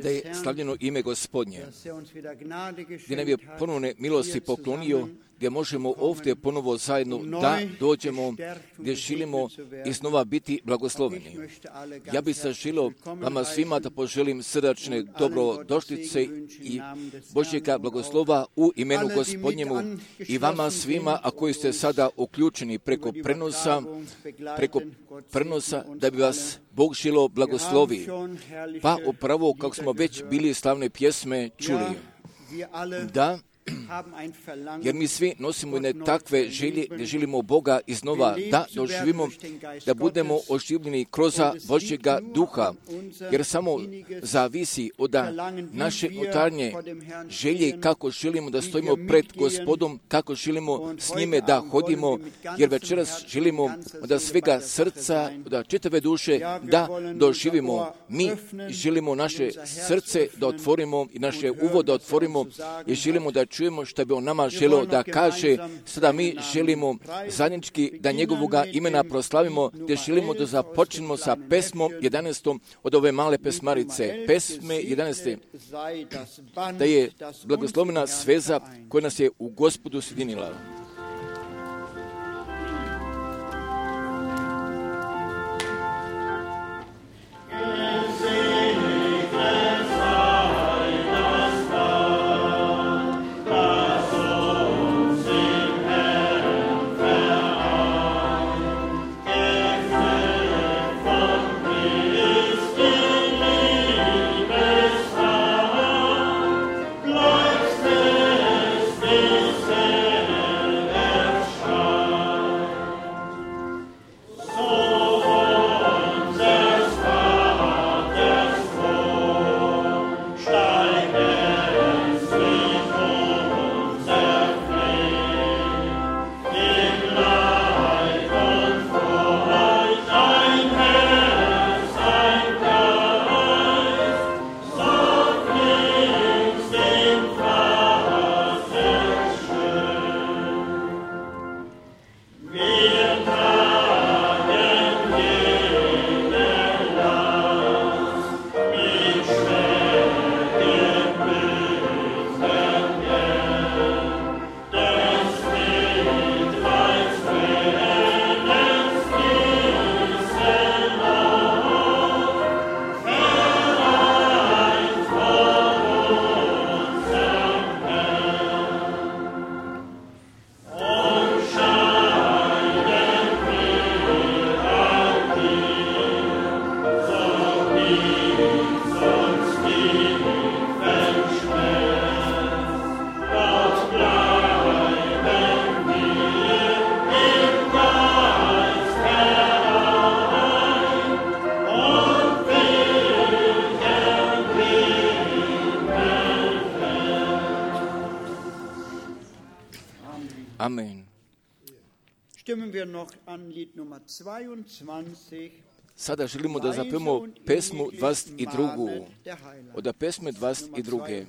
Da je slavljeno ime Gospodnje, gdje nam je ponovne milosti poklonio, gdje možemo ovdje ponovo zajedno da dođemo, gdje želimo iznova biti blagosloveni. Ja bih se želio vama svima da poželim srdačne dobrodošlice i Božjega blagoslova u imenu Gospodnjemu i vama svima, a koji ste sada uključeni preko prenosa, da bi vas Bog želio blagoslovi. Pa upravo kako smo već bili slavne pjesme čuli, da, jer mi svi nosimo jedne takve želje gdje želimo Boga iznova da doživimo, da budemo oživljeni kroz Božjega duha, jer samo zavisi od naše unutarnje želje kako želimo da stojimo pred Gospodom, kako želimo s njime da hodimo, jer večeras želimo da svega srca, da čitave duše da doživimo. Mi želimo naše srce da otvorimo i naše uvo da otvorimo i želimo da čujemo što bi on nama želio da kaže. Sada mi želimo zajednički da njegovoga imena proslavimo, gdje želimo da započnemo sa pesmom 11. od ove male pesmarice. Pesme 11. da je blagoslovena sveza koja nas je u Gospodu sjedinila. Amen. Sada želimo da zapevamo pesmu 22. Od pesme 22.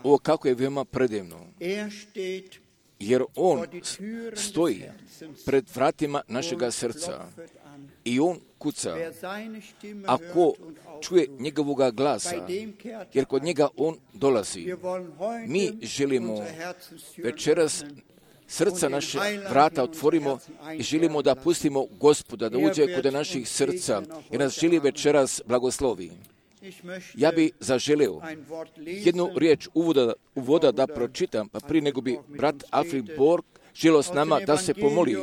O, kako je veoma predivno. Jer on stoji pred vratima našega srca i on kuca. Ako čuje njegovoga glasa, jer kod njega on dolazi. Mi želimo večeras srca naše vrata otvorimo i želimo da pustimo Gospoda da uđe kod naših srca i nas želi večeras blagoslovi. Ja bi zaželeo jednu riječ uvoda da pročitam, pa prije nego bi brat Alfred Borg želio s nama da se pomoli.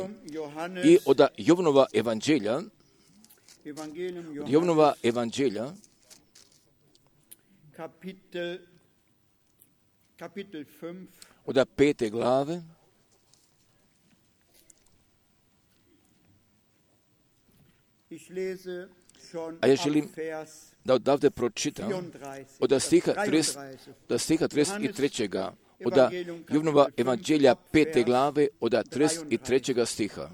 I od Jovanova evanđelja, od 5. glave, a ja želim da odavde pročitam od stiha 33. od Jovanova evanđelja 5. glave od 33. stiha.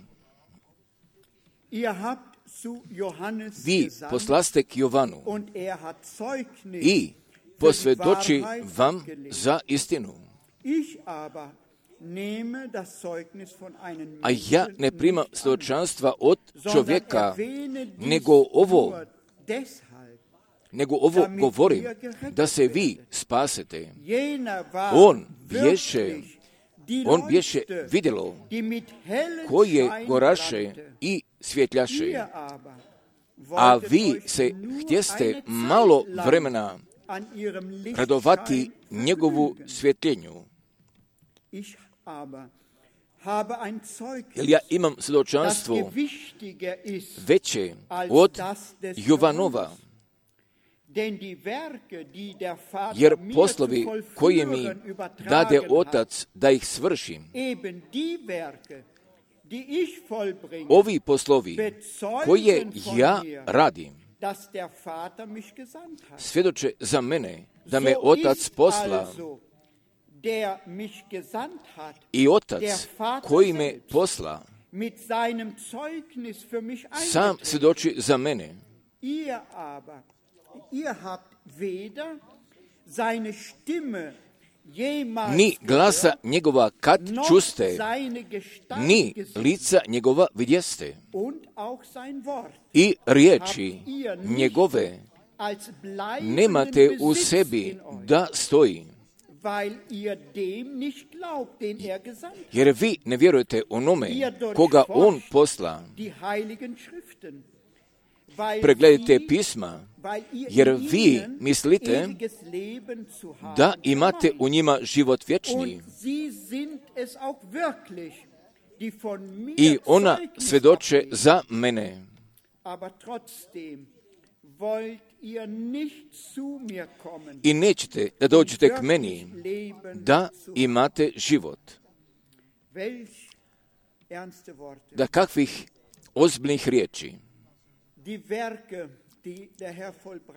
Vi poslaste k Jovanu i posvjedoči vam za istinu. A ja ne primam svjedočanstva od čovjeka, nego ovo govorim, da se vi spasete. On bješe vidjelo koje goraše i svjetljaše, a vi se htjeste malo vremena radovati njegovu svjetljenju. Jer ja imam svjedočanstvo veće od Jovanova, jer poslovi koje mi dade Otac da ih svršim, ovi poslovi koje ja radim, svjedoče za mene da me Otac posla. I Otac koji me posla sam svjedoči za mene. Ni glasa njegova kad čuste, ni lica njegova vidjeste. I riječi njegove nemate u sebi da stoji. Jer vi ne vjerujete onome koga on posla. Pregledajte pisma, jer vi mislite da imate u njima život vječni. I ona svjedoče za mene. I nećete da dođete k meni da imate život. Da kakvih ozbiljnih riječi.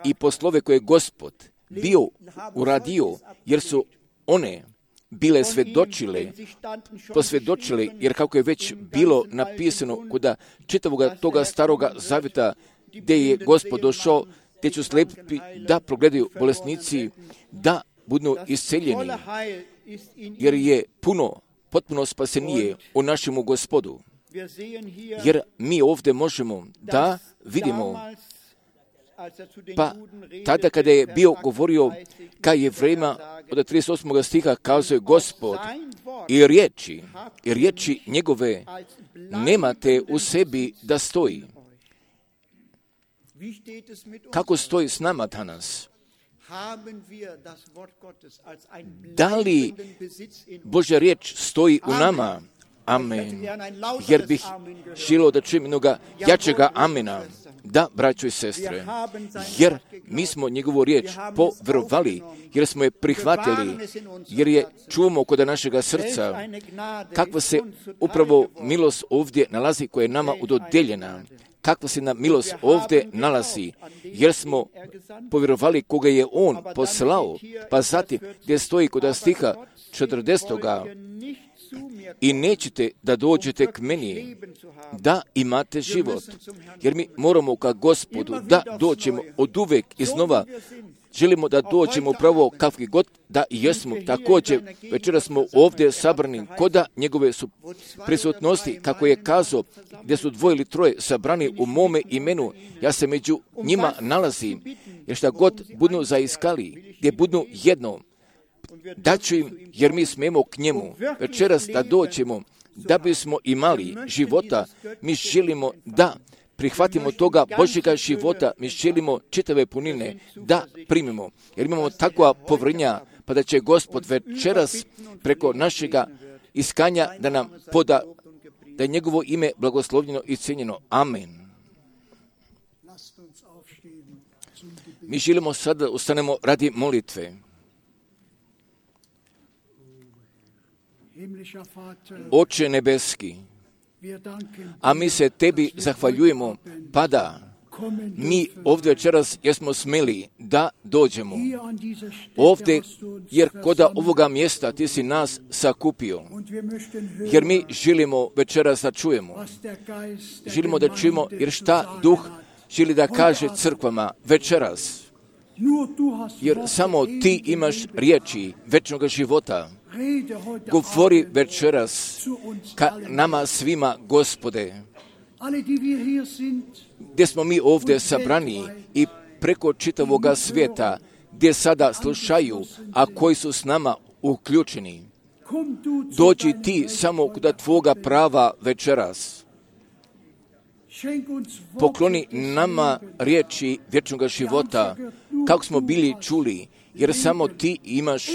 I poslove koje je Gospod bio uradio, jer su one bile posvjedočile, jer kako je već bilo napisano kod čitavoga toga staroga zavjeta, gdje je Gospod došao, gdje ću slijepi da progledaju bolesnici, da budu isceljeni, jer je potpuno spasenije u našemu Gospodu. Jer mi ovdje možemo da vidimo, pa tada kada je bio govorio ka Jevrejima od 38. stiha kazuje Gospod i riječi njegove nemate u sebi da stoji. Kako stoji s nama danas? Da li Božja riječ stoji u nama? Amen. Jer bih želio da čujem jednoga jačega amena. Da, braćo i sestre, jer mi smo njegovu riječ povjerovali, jer smo je prihvatili, jer je čuvamo kod našega srca, kakva se upravo milost ovdje nalazi koja je nama udodijeljena. Kakva se nam milost ovdje nalazi, jer smo povjerovali koga je on poslao, pa zatim gdje stoji kod stiha 40. I nećete da dođete k meni da imate život. Jer mi moramo ka Gospodu da dođemo od uvek iznova želimo da dođemo upravo kakvi god da jesmo. Također, večeras smo ovdje sabrani koda njegove su prisutnosti, kako je kazao, gdje su 2 ili 3 sabrani u mome imenu, ja se među njima nalazim, jer šta god budu zaiskali, gdje budu jedno, daću im, jer mi smemo k njemu. Večeras da dođemo, da bismo imali života, mi želimo da prihvatimo toga Božjega života, mi želimo čitave punine da primimo, jer imamo takva povjerenja, pa da će Gospod večeras preko našega iskanja da nam poda, da je njegovo ime blagoslovljeno i cijenjeno. Amen. Mi želimo sada da ustanemo radi molitve. Oče nebeski, a mi se tebi zahvaljujemo, pa da mi ovdje večeras jesmo smeli da dođemo ovdje, jer koda ovoga mjesta ti si nas sakupio, jer mi želimo večeras da čujemo, želimo da čujemo, jer šta Duh želi da kaže crkvama večeras, jer samo ti imaš riječi večnog života. Govori večeras ka nama svima, Gospode, gdje smo mi ovdje sabrani i preko čitavoga svijeta, gdje sada slušaju, a koji su s nama uključeni. Dođi ti samo kod tvoga prava večeras. Pokloni nama riječi vječnog života, kako smo bili čuli, jer samo ti imaš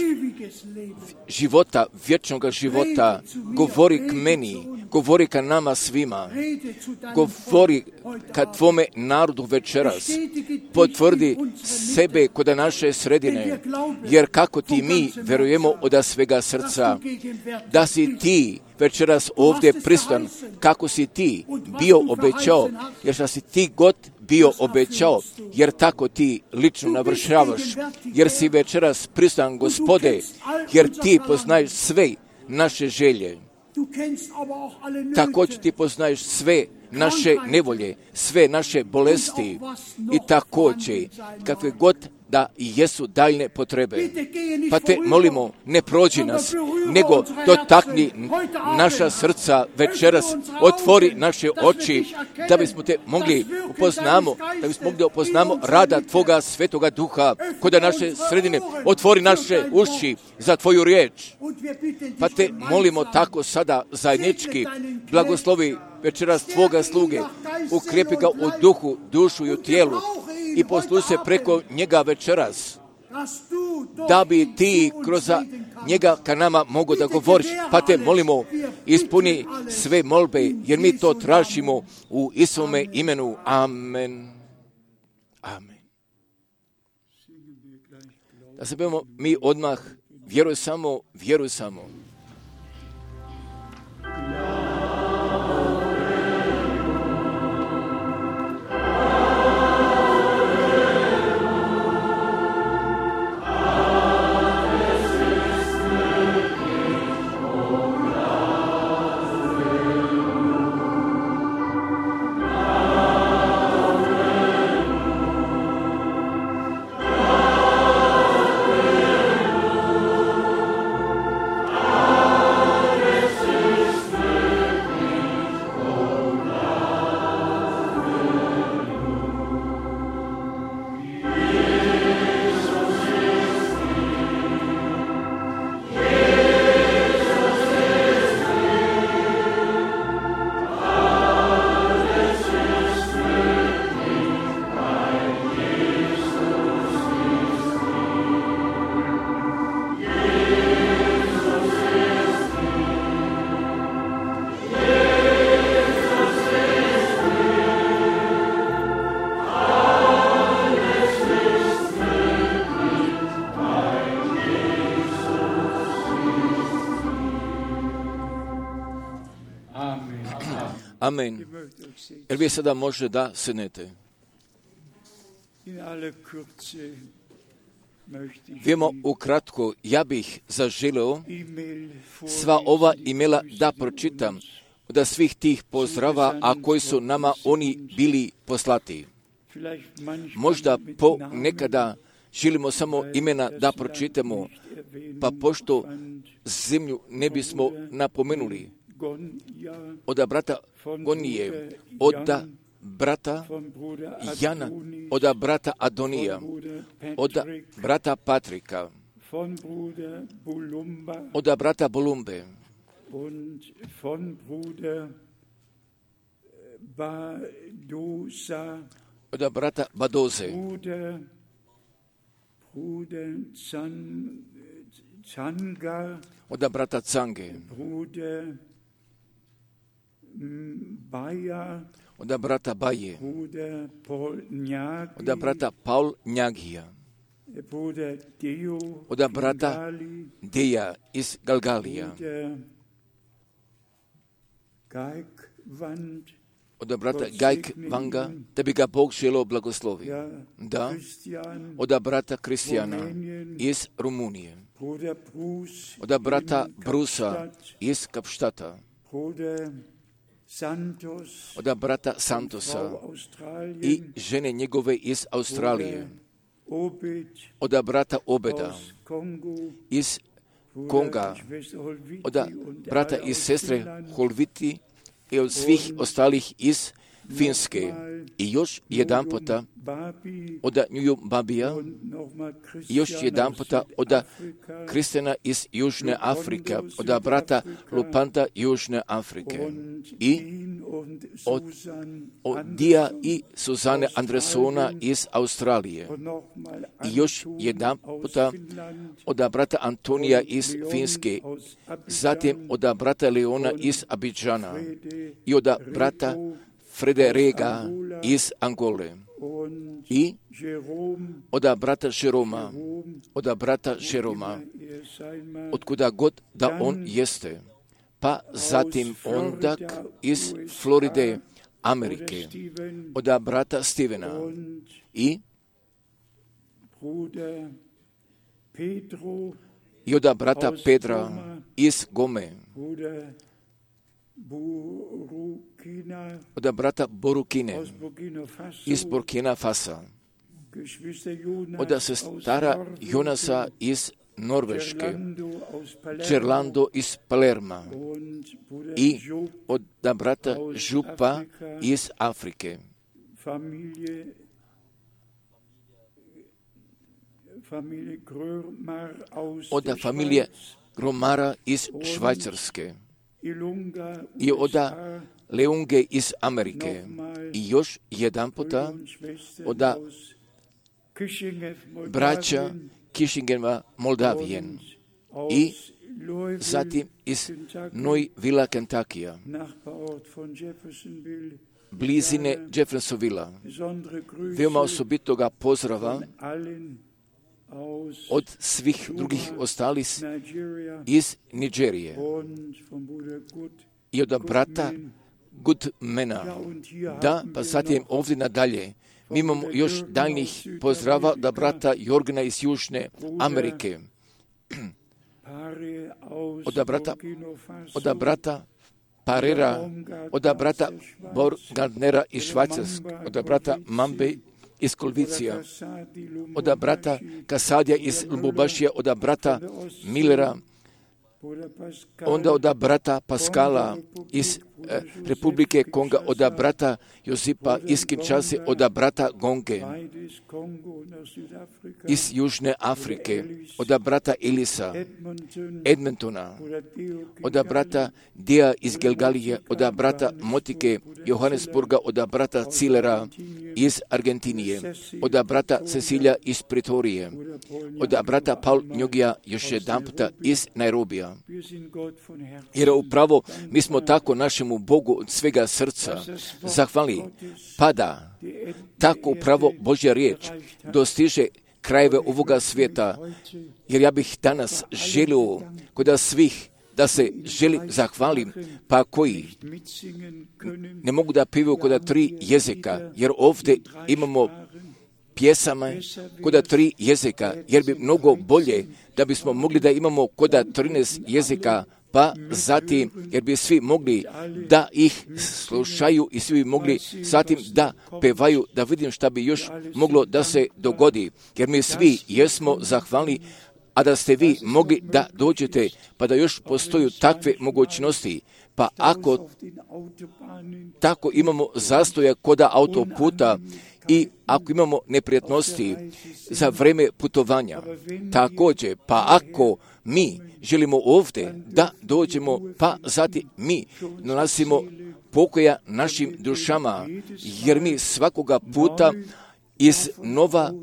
života, vječnog života. Govori k meni, govori ka nama svima, govori ka tvome narodu večeras. Potvrdi sebe kod naše sredine, jer kako ti mi verujemo od svega srca, da si ti večeras ovdje prisutan, kako si ti bio obećao, jer šta si ti god bio obećao, jer tako ti lično navršavaš, jer si večeras prisutan, Gospode, jer ti poznaješ sve naše želje. Također ti poznaješ sve naše nevolje, sve naše bolesti i također kakve god da jesu daljne potrebe. Pa te molimo, ne prođi nas, nego dotakni naša srca večeras, otvori naše oči, da bismo te mogli upoznamo rada Tvoga Svetoga Duha kod naše sredine, otvori naše uši za Tvoju riječ. Pa te molimo tako sada zajednički, blagoslovi večeras Tvoga sluge, ukrijepi ga u duhu, dušu i u tijelu i posluži se preko njega večeras, da bi ti kroz njega ka nama mogu da govoriš. Pa te molimo, ispuni sve molbe, jer mi to tražimo u Isovome imenu. Amen. Amen. Da se bavimo mi odmah, vjeruj samo, vjeruj samo. Amen. Jer vi sada može da sednete. Vemo ukratko, ja bih zaželeo sva ova imela da pročitam od svih tih pozdrava, a koji su nama oni bili poslati. Možda po nekada želimo samo imena da pročitamo, pa pošto zemlju ne bismo napomenuli, od brata Gonije, od brata Jana, od brata Adonija, od brata Patrika, od brata Bolumbe, od brata Badoze, od brata Cange, od brata Baje, od brata Paul Njagija, od brata Deja iz Galgalija, od brata Gajk Vanga, da bi ga Bog želeo blagoslovi. Da, od brata Kristijana iz Rumunije, od brata Brusa iz Kapštata, od brata Santosa i žene njegove iz Australije, od brata Obeda iz Konga, od brata i sestre Holviti i od svih ostalih iz Finske. I još jedan puta od Njuju Babija, i još jedan puta od Kristjana iz Južne Afrike, od brata Lupanta Južne Afrike i od Dija i Suzane Andresona iz Australije. I još jedan puta od brata Antonija iz Finske, zatim od brata Leona iz Abidžana i od brata Frederega iz Angole i od brata Jeroma, otkuda god da on jeste, pa zatim onda iz Floride, Amerike, od brata Stevena i od brata Pedra iz Gome, od brata Borukine iz Burkina Fasa, od sestara Jonasa iz Norveške, Čerlando iz Palerma i od brata Župa iz Afrike, od familije Gromara iz Švajcarske i od Leunge iz Amerike i još jedan puta od braća Kišingeva Moldavijen i zatim iz Louisville, Kentuckija, blizine Jeffersonvilla. Veoma osobitoga pozdrava od svih drugih ostalih iz Nigerije i od brata Goodmana. Da, pa zatim ovdje nadalje. Mi imamo još daljnjih pozdrava od brata Jorgena iz Južne Amerike, od brata Parera, od brata Borgardnera iz Švajcarske, od brata Mambe iz Kolvicija, od brata Kasadija iz Lubumbašija, od brata Millera, onda od brata Paskala iz Republike Konga, od brata Josipa iz Kinshase, od brata Gonge iz Južne Afrike, od brata Elisa Edmontona, od brata Dija iz Gelgalije, od brata Motike Johannesburga, od brata Cilera iz Argentinije, od brata Cecilija iz Pretorije, od brata Paul Njogija još jedan puta iz Nairobija. Jer upravo mi smo tako našemu Bogu od svega srca zahvali, pa da tako upravo Božja riječ dostiže krajeve ovoga svijeta, jer ja bih danas želio kod svih da se želim zahvalim, pa koji ne mogu da pivaju kod 3 jezika, jer ovdje imamo pjesama kod 3 jezika, jer bi mnogo bolje da bismo mogli da imamo kod 13 jezika, pa zatim, jer bi svi mogli da ih slušaju i svi bi mogli zatim da pevaju, da vidim šta bi još moglo da se dogodi, jer mi svi jesmo zahvalni, a da ste vi mogli da dođete, pa da još postoju takve mogućnosti. Pa ako tako imamo zastoja koda autoputa i ako imamo neprijatnosti za vreme putovanja, također, pa ako mi želimo ovdje da dođemo, pa zatim mi nalazimo pokoja našim dušama, jer mi svakoga puta iznova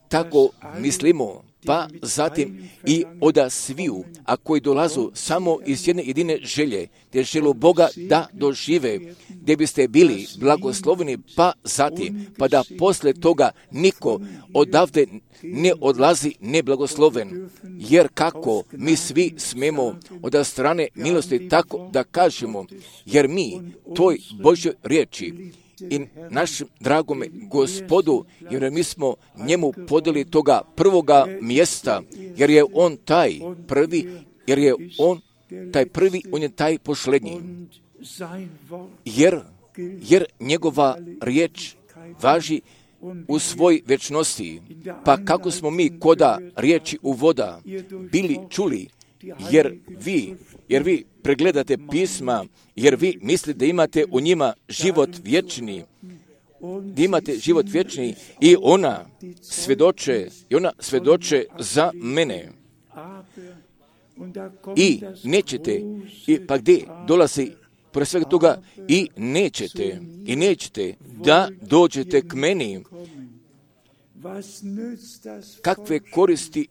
tako mislimo, pa zatim i oda sviju, a koji dolazu samo iz jedne jedine želje, gdje želu Boga da dožive, gdje biste bili blagosloveni, pa zatim, pa da posle toga niko odavde ne odlazi neblagosloven, jer kako mi svi smemo od strane milosti tako da kažemo, jer mi toj Božjoj riječi i našem dragome Gospodu, jer mi smo njemu podeli toga prvoga mjesta, jer je on taj prvi, jer je on taj prvi, on je taj posljednji. Jer njegova riječ važi u svoj večnosti. Pa kako smo mi koda riječi u voda bili čuli, jer vi pregledate pisma, jer vi mislite da imate u njima život vječni, da imate život vječni i ona svjedoče za mene. I nećete, pa gdje dolazi pored svega toga, i nećete da dođete k meni. Kakve koristi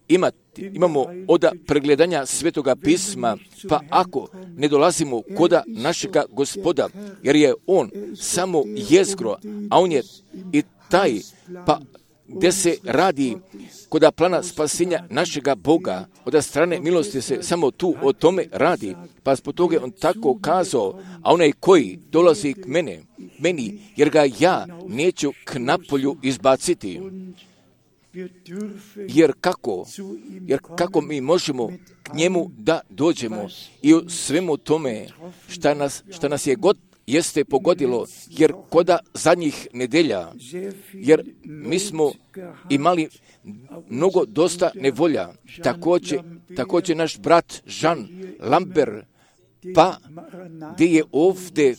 imamo od pregledanja Svetoga pisma, pa ako ne dolazimo koda našega Gospoda, jer je on samo jezgro, a on je i taj, pa gdje se radi koda plana spasenja našega Boga, od strane milosti se samo tu o tome radi, pa zbog toga on tako kazao, a onaj koji dolazi k meni, jer ga ja neću k napolju izbaciti. Jer kako mi možemo k njemu da dođemo i u svemu tome šta nas je god jeste pogodilo, jer koda zadnjih nedelja, jer mi smo imali mnogo dosta nevolja, također naš brat Jean Lambert, pa gdje je ovdje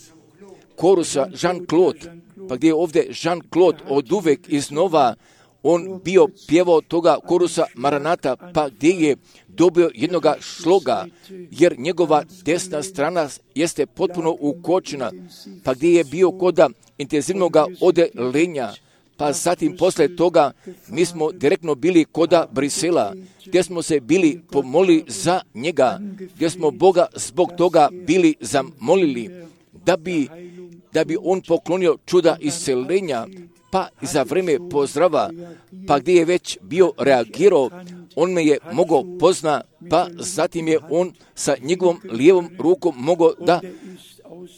korusa Jean-Claude, pa gdje je ovdje Jean-Claude od uvek iznova on bio pjevao toga korusa Maranata, pa gdje je dobio jednoga šloga, jer njegova desna strana jeste potpuno ukočena, pa gdje je bio koda intenzivnog odelenja, pa zatim posle toga mi smo direktno bili koda Brisela, gdje smo se bili pomolili za njega, gdje smo Boga zbog toga bili zamolili, da bi on poklonio čuda isceljenja, pa za vrijeme pozdrava, pa gdje je već bio reagirao, on me je mogao pozna, pa zatim je on sa njegovom lijevom rukom mogao da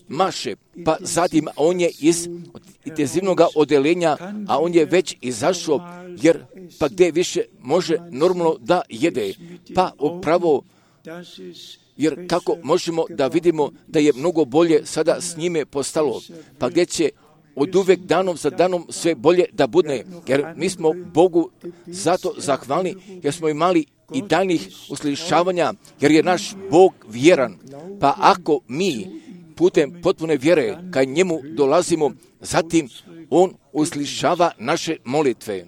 maše, pa zatim on je iz intenzivnog odelenja, a on je već izašao, jer pa gdje više može normalno da jede, pa upravo, jer kako možemo da vidimo da je mnogo bolje sada s njime postalo, pa gdje će od uvek danom za danom sve bolje da bude, jer mi smo Bogu zato zahvalni, jer smo imali i daljnih uslišavanja, jer je naš Bog vjeran. Pa ako mi putem potpune vjere ka njemu dolazimo, zatim on uslišava naše molitve.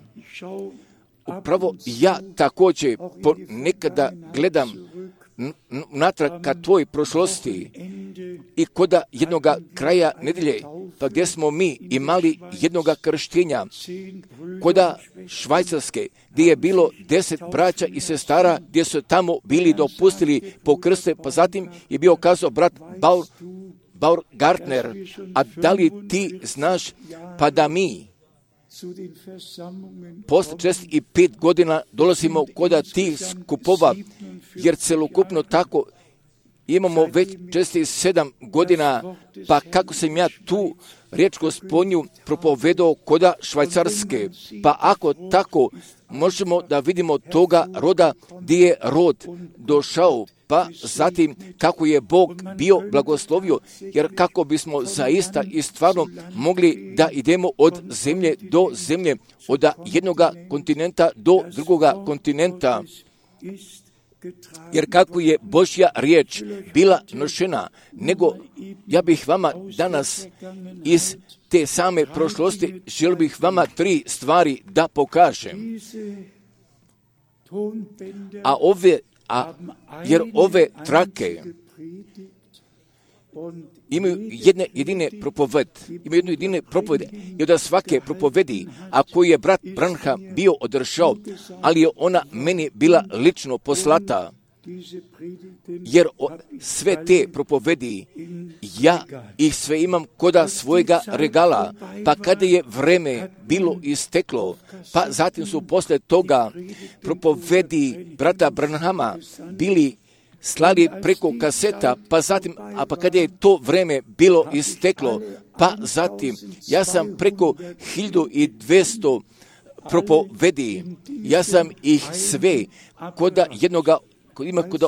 Upravo ja također nekada gledam natrag ka tvoj prošlosti i koda jednoga kraja nedelje, pa gdje smo mi imali jednoga krštenja, koda Švajcarske, gdje je bilo 10 braća i sestara, gdje su tamo bili dopustili po krste, pa zatim je bio kazao brat Baumgartner, a da li ti znaš, pa da mi posle 65 godina dolazimo koda tih skupova, jer celokupno tako imamo već 7 godina, pa kako sam ja tu riječ Gospodnju propovedao koda Švajcarske, pa ako tako možemo da vidimo toga roda gdje je rod došao, pa zatim kako je Bog bio blagoslovio, jer kako bismo zaista i stvarno mogli da idemo od zemlje do zemlje, od jednoga kontinenta do drugoga kontinenta, jer kako je Božja riječ bila nošena, nego ja bih vama danas iz te same prošlosti želio bih vama 3 stvari da pokažem. Jer ove trake imaju jedne jedine propovede i od svake propovedi, a koju je brat Branham bio održao, ali je ona meni bila lično poslata, jer sve te propovedi ja ih sve imam koda svojega regala, pa kada je vreme bilo isteklo, pa zatim su posle toga propovedi brata Branhama bili slali preko kaseta, pa zatim, pa kada je to vreme bilo isteklo, pa zatim ja sam preko 1200 propovedi, ja sam ih sve koda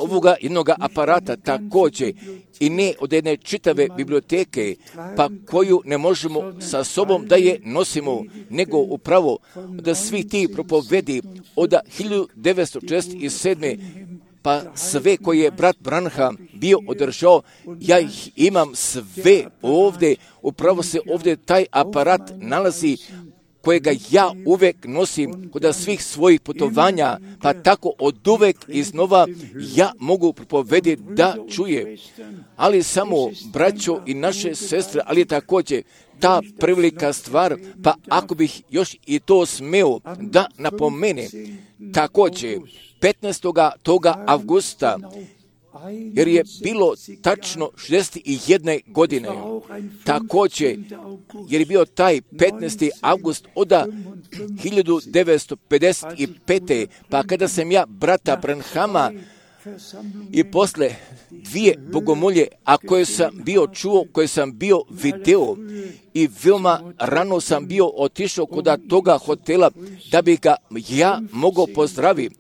ovoga jednoga aparata također i ne od jedne čitave biblioteke, pa koju ne možemo sa sobom da je nosimo, nego upravo da svi ti propovedi od 1947. pa sve koje je brat Branham bio održao, ja ih imam sve ovdje, upravo se ovdje taj aparat nalazi kojega ja uvek nosim kod svih svojih putovanja, pa tako od uvek iznova ja mogu propovediti da čuje. Ali samo braćo i naše sestre, ali također ta prevelika stvar, pa ako bih još i to smeo da napomene, također 15. toga avgusta, jer je bilo tačno 61 godine, također, jer je bio taj 15. avgust od 1955. pa kada sam ja brata Branhama i posle 2 bogomolje, a koje sam bio čuo, koje sam bio video i veoma rano sam bio otišao kod toga hotela da bi ga ja mogao pozdraviti,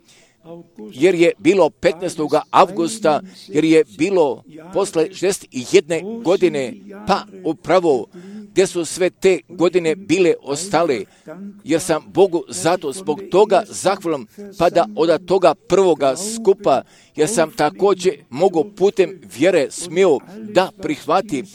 jer je bilo 15. avgusta, jer je bilo posle 61 godine, pa upravo gdje su sve te godine bile ostale, jer sam Bogu zato zbog toga zahvalan, pa da od toga prvoga skupa, jer sam također mogao putem vjere smio da prihvatim,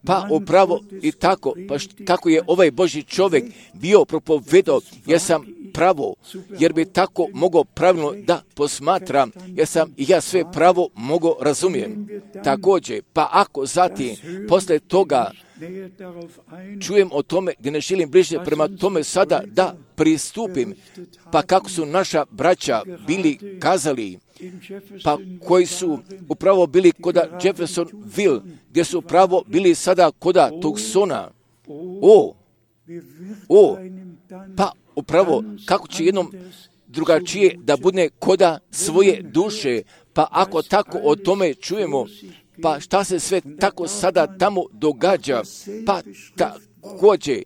pa upravo i tako, pa kako je ovaj Božji čovjek bio propovedao, jer sam pravo, jer bi tako mogao pravilno da posmatram, jer sam i ja sve pravo mogao razumijem. Također, pa ako zatim, posle toga, čujem o tome gdje ne želim bliže prema tome sada da pristupim, pa kako su naša braća bili kazali, pa koji su upravo bili koda Jeffersonville, gdje su upravo bili sada koda Tucsona. Pa upravo kako će jednom drugačije da bude koda svoje duše, pa ako tako o tome čujemo, pa šta se sve tako sada tamo događa, pa također,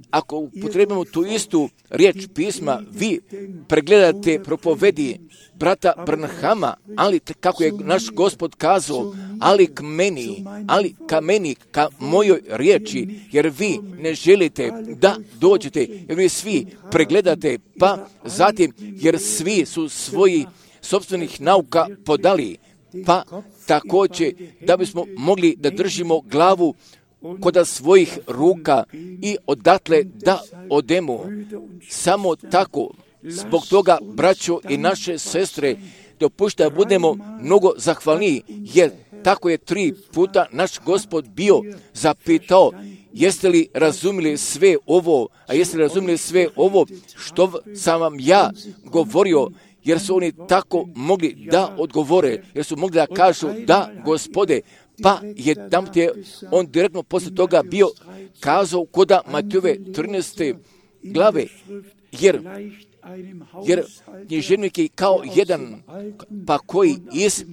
ako upotrebimo tu istu riječ pisma, vi pregledate propovedi brata Branhama, ali kako je naš Gospod kazao, ali ka meni, ka mojoj riječi, jer vi ne želite da dođete, jer vi svi pregledate, pa zatim, jer svi su svoji sopstvenih nauka podali, pa također da bismo mogli da držimo glavu koda svojih ruka i odatle da odemo. Samo tako, zbog toga, braćo i naše sestre, dopušta da budemo mnogo zahvalniji, jer tako je 3 puta naš Gospod bio zapitao, jeste li razumili sve ovo, a jeste li razumili sve ovo što sam vam ja govorio, jer su oni tako mogli da odgovore, jer su mogli da kažu da, Gospode, pa je tam on direktno posle toga bio kazao koda Matejove 13. glave, jer književnik je kao jedan, pa koji iz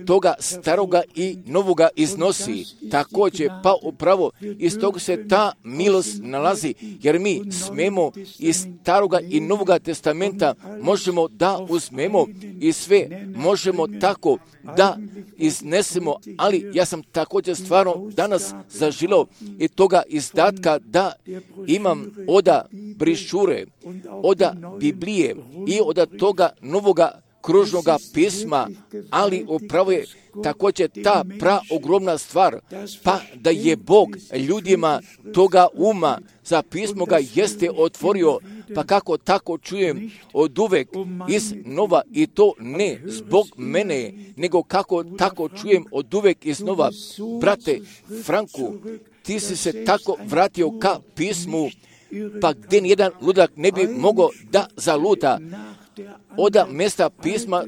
toga staroga i novoga iznosi. Također, pa upravo iz toga se ta milost nalazi, jer mi smemo iz staroga i novoga testamenta možemo da uzmemo i sve možemo tako da iznesemo, ali ja sam također stvarno danas zaželio i toga izdatka da imam oda brišure, oda Biblije i od toga novoga kružnoga pisma, ali upravo je također ta ogromna stvar, pa da je Bog ljudima toga uma za pismo ga jeste otvorio, pa kako tako čujem od uvek iz nova, i to ne zbog mene, nego kako tako čujem od uvek iz nova. Brate Franku, ti si se tako vratio ka pismu, pa gdje nijedan ludak ne bi mogao da zaluta oda mjesta pisma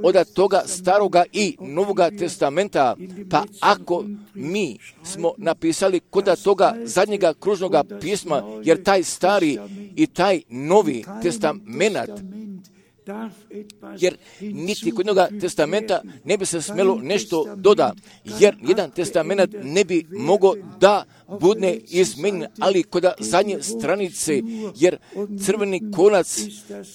oda toga staroga i novoga testamenta. Pa ako mi smo napisali kod toga zadnjega kružnoga pisma, jer taj stari i taj novi testament, jer niti kod jednoga testamenta ne bi se smjelo nešto doda, jer jedan testament ne bi mogao da bude izmenjen, ali kod zadnje stranice, jer crveni konac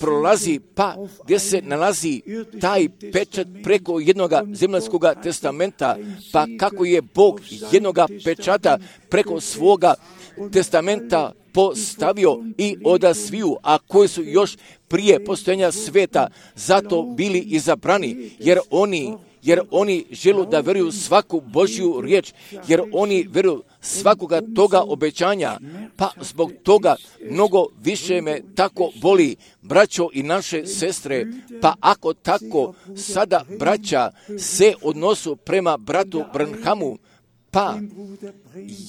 prolazi, pa gdje se nalazi taj pečat preko jednoga zemaljskog testamenta, pa kako je Bog jednoga pečata preko svoga testamenta postavio i odasviju, a koji su još prije postojanja sveta zato bili izabrani, jer oni žele da vjeruju svaku Božju riječ, jer oni vjeruju svakoga toga obećanja, pa zbog toga mnogo više me tako boli, braćo i naše sestre, pa ako tako sada braća se odnosu prema bratu Branhamu, pa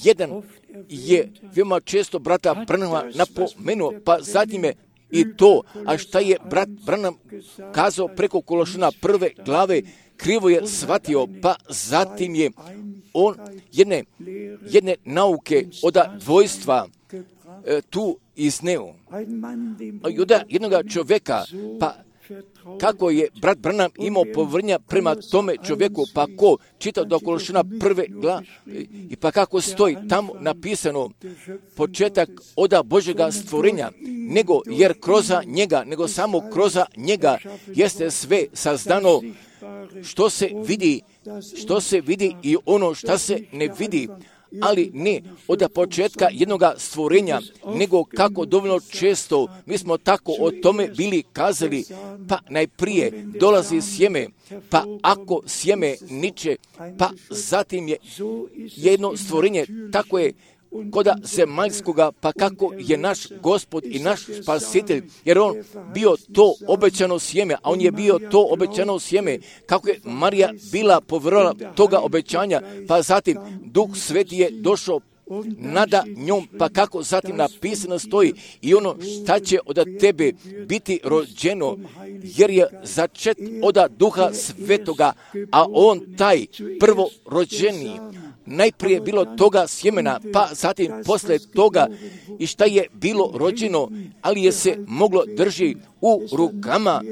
jedan je veoma često brata Branhama napomenuo, pa zatim je i to, a šta je brat Branham kazao preko Kološana 1. glave, krivo je shvatio, pa zatim je on jedne nauke od dvojstva tu izneo. Od jednoga čovjeka, pa kako je brat Branham imao povrnja prema tome čovjeku, pa ko čita do Kološana 1. glave i pa kako stoji tamo napisano početak oda Božjega stvorenja, nego samo kroz njega jeste sve sazdano što se vidi i ono što se ne vidi, ali ne od početka jednoga stvorenja, nego kako dovoljno često mi smo tako o tome bili kazali, pa najprije dolazi sjeme, pa ako sjeme niče, pa zatim je jedno stvorenje, tako je koda zemaljskoga, pa kako je naš Gospod i naš Spasitelj, jer on bio to obećano sjeme, a on je bio to obećano sjeme, kako je Marija bila povjerovala toga obećanja, pa zatim Duh Sveti je došao nada njom, pa kako zatim napisano stoji i ono šta će od tebe biti rođeno, jer je začet od Duha Svetoga, a on taj prvorođeni. Najprije bilo toga sjemena, pa zatim posle toga i šta je bilo rođeno, ali je se moglo drži u rukama,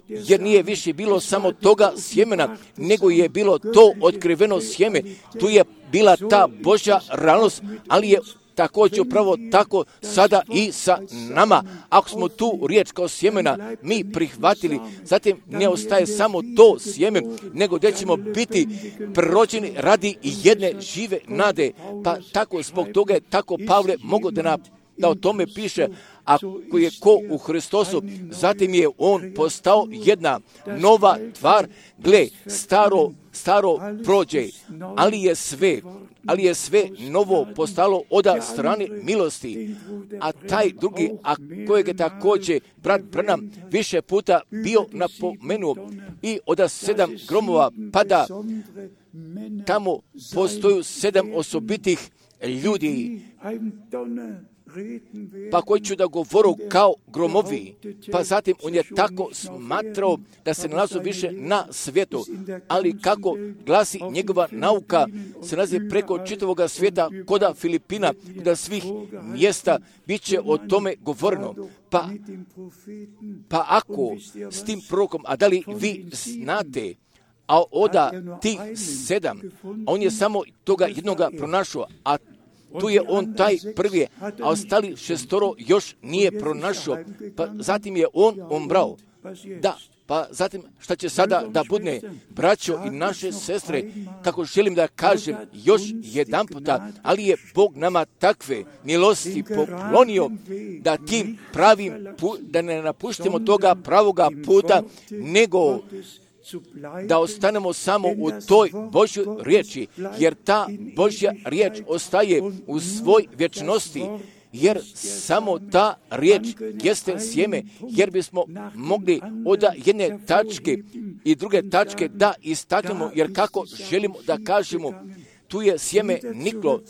jer nije više bilo samo toga sjemena, nego je bilo to otkriveno sjeme. Tu je bila ta Božja realnost, ali je također upravo tako sada i sa nama. Ako smo tu riječ kao sjemena mi prihvatili, zatim ne ostaje samo to sjeme, nego gdje ćemo biti prerođeni radi jedne žive nade. Pa tako zbog toga je tako Pavle mogao da o tome piše, ako je ko u Hristosu, zatim je on postao jedna nova tvar, gle, staro prođe, ali je sve novo postalo od strane milosti. A taj drugi, a kojeg je također brat Branham više puta bio napomenuo, i od 7 gromova pada, tamo postoju 7 osobitih ljudi, pa koji ću da govoru kao gromovi, pa zatim on je tako smatrao da se nalazu više na svijetu, ali kako glasi njegova nauka, se nalazi preko čitavoga svijeta, koda Filipina, koda svih mjesta, bit će o tome govoreno. Pa ako s tim prorokom, a da li vi znate, a oda tih 7, on je samo toga jednoga pronašao, a tu je on taj prvi, a ostali 6 još nije pronašao, pa zatim je on umrao. Da, pa zatim šta će sada da bude, braćo i naše sestre, kako želim da kažem još jedan puta, ali je Bog nama takve milosti poklonio da tim pravim, da ne napuštimo toga pravoga puta, nego da ostanemo samo u toj Božjoj riječi, jer ta Božja riječ ostaje u svoj vječnosti, jer samo ta riječ jeste sjeme, jer bismo mogli od jedne tačke i druge tačke da istaknemo, jer kako želimo da kažemo, tu je sjeme niklo.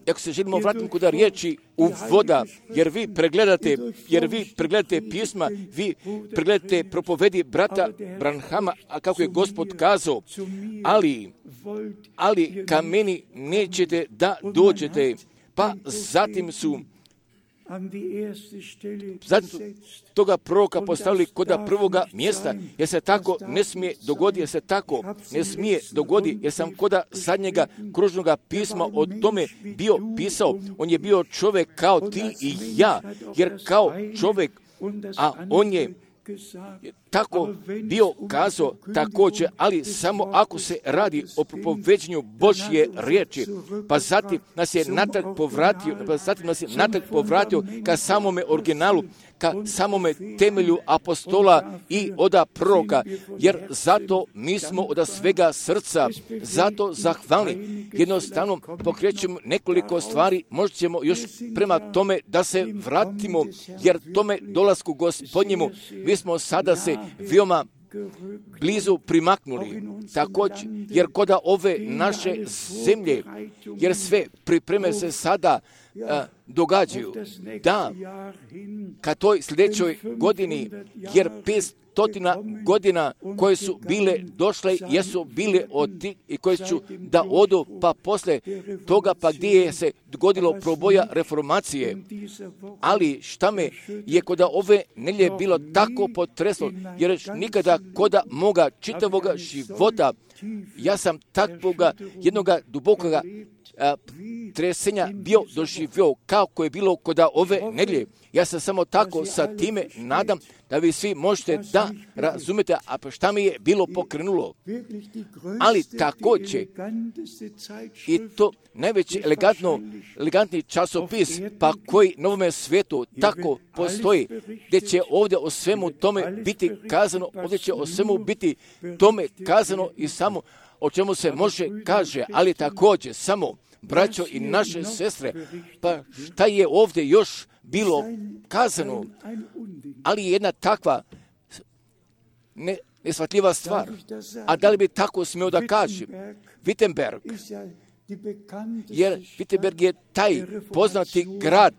Ako se želimo vratiti kod riječi u voda, jer vi pregledate pisma, vi pregledate propovedi brata Branhama, a kako je Gospod kazao, ali ka meni nećete da dođete. Pa zatim su toga proroka postavili kod prvoga mjesta, jer se tako ne smije dogoditi, jer sam kod zadnjega kružnoga pisma o tome bio pisao. On je bio čovjek kao ti i ja, jer kao čovjek, a on je tako bio kazao također, ali samo ako se radi o propoveđenju Božje riječi, pa zatim nas je natrag povratio ka samome originalu, ka samome temelju apostola i oda proroka, jer zato mi smo od svega srca zato zahvalni. Jednostavno pokrećemo nekoliko stvari, možda ćemo još prema tome da se vratimo, jer tome dolasku Gospodnjemu mi smo sada se veoma blizu primaknuli, također, jer kod ove naše zemlje, jer sve pripreme se sada događaju, da ka toj sljedećoj godini, jer 500 godina koje su bile došle, jesu bile od tih i koje ću da odu, pa posle toga pa gdje je se dogodilo proboja reformacije. Ali šta me je kod ove nelje bilo tako potreslo, jer nikada kod moga čitavoga života ja sam takvoga jednoga dubokoga tresenja bio doživio kako je bilo kod ove nedjelje. Ja se samo tako sa time nadam da vi svi možete da razumete, a šta mi je bilo pokrenulo. Ali također, i to najveći elegantni časopis, pa koji na ovome svijetu tako postoji, gdje će ovdje o svemu tome biti kazano, ovdje će o svemu biti tome kazano i samo o čemu se može kaže, ali također samo, braćo i naše sestre, pa šta je ovdje još bilo kazano, ali jedna takva neshvatljiva stvar. A da li bi tako smio da kažem? Wittenberg, jer Wittenberg je taj poznati grad,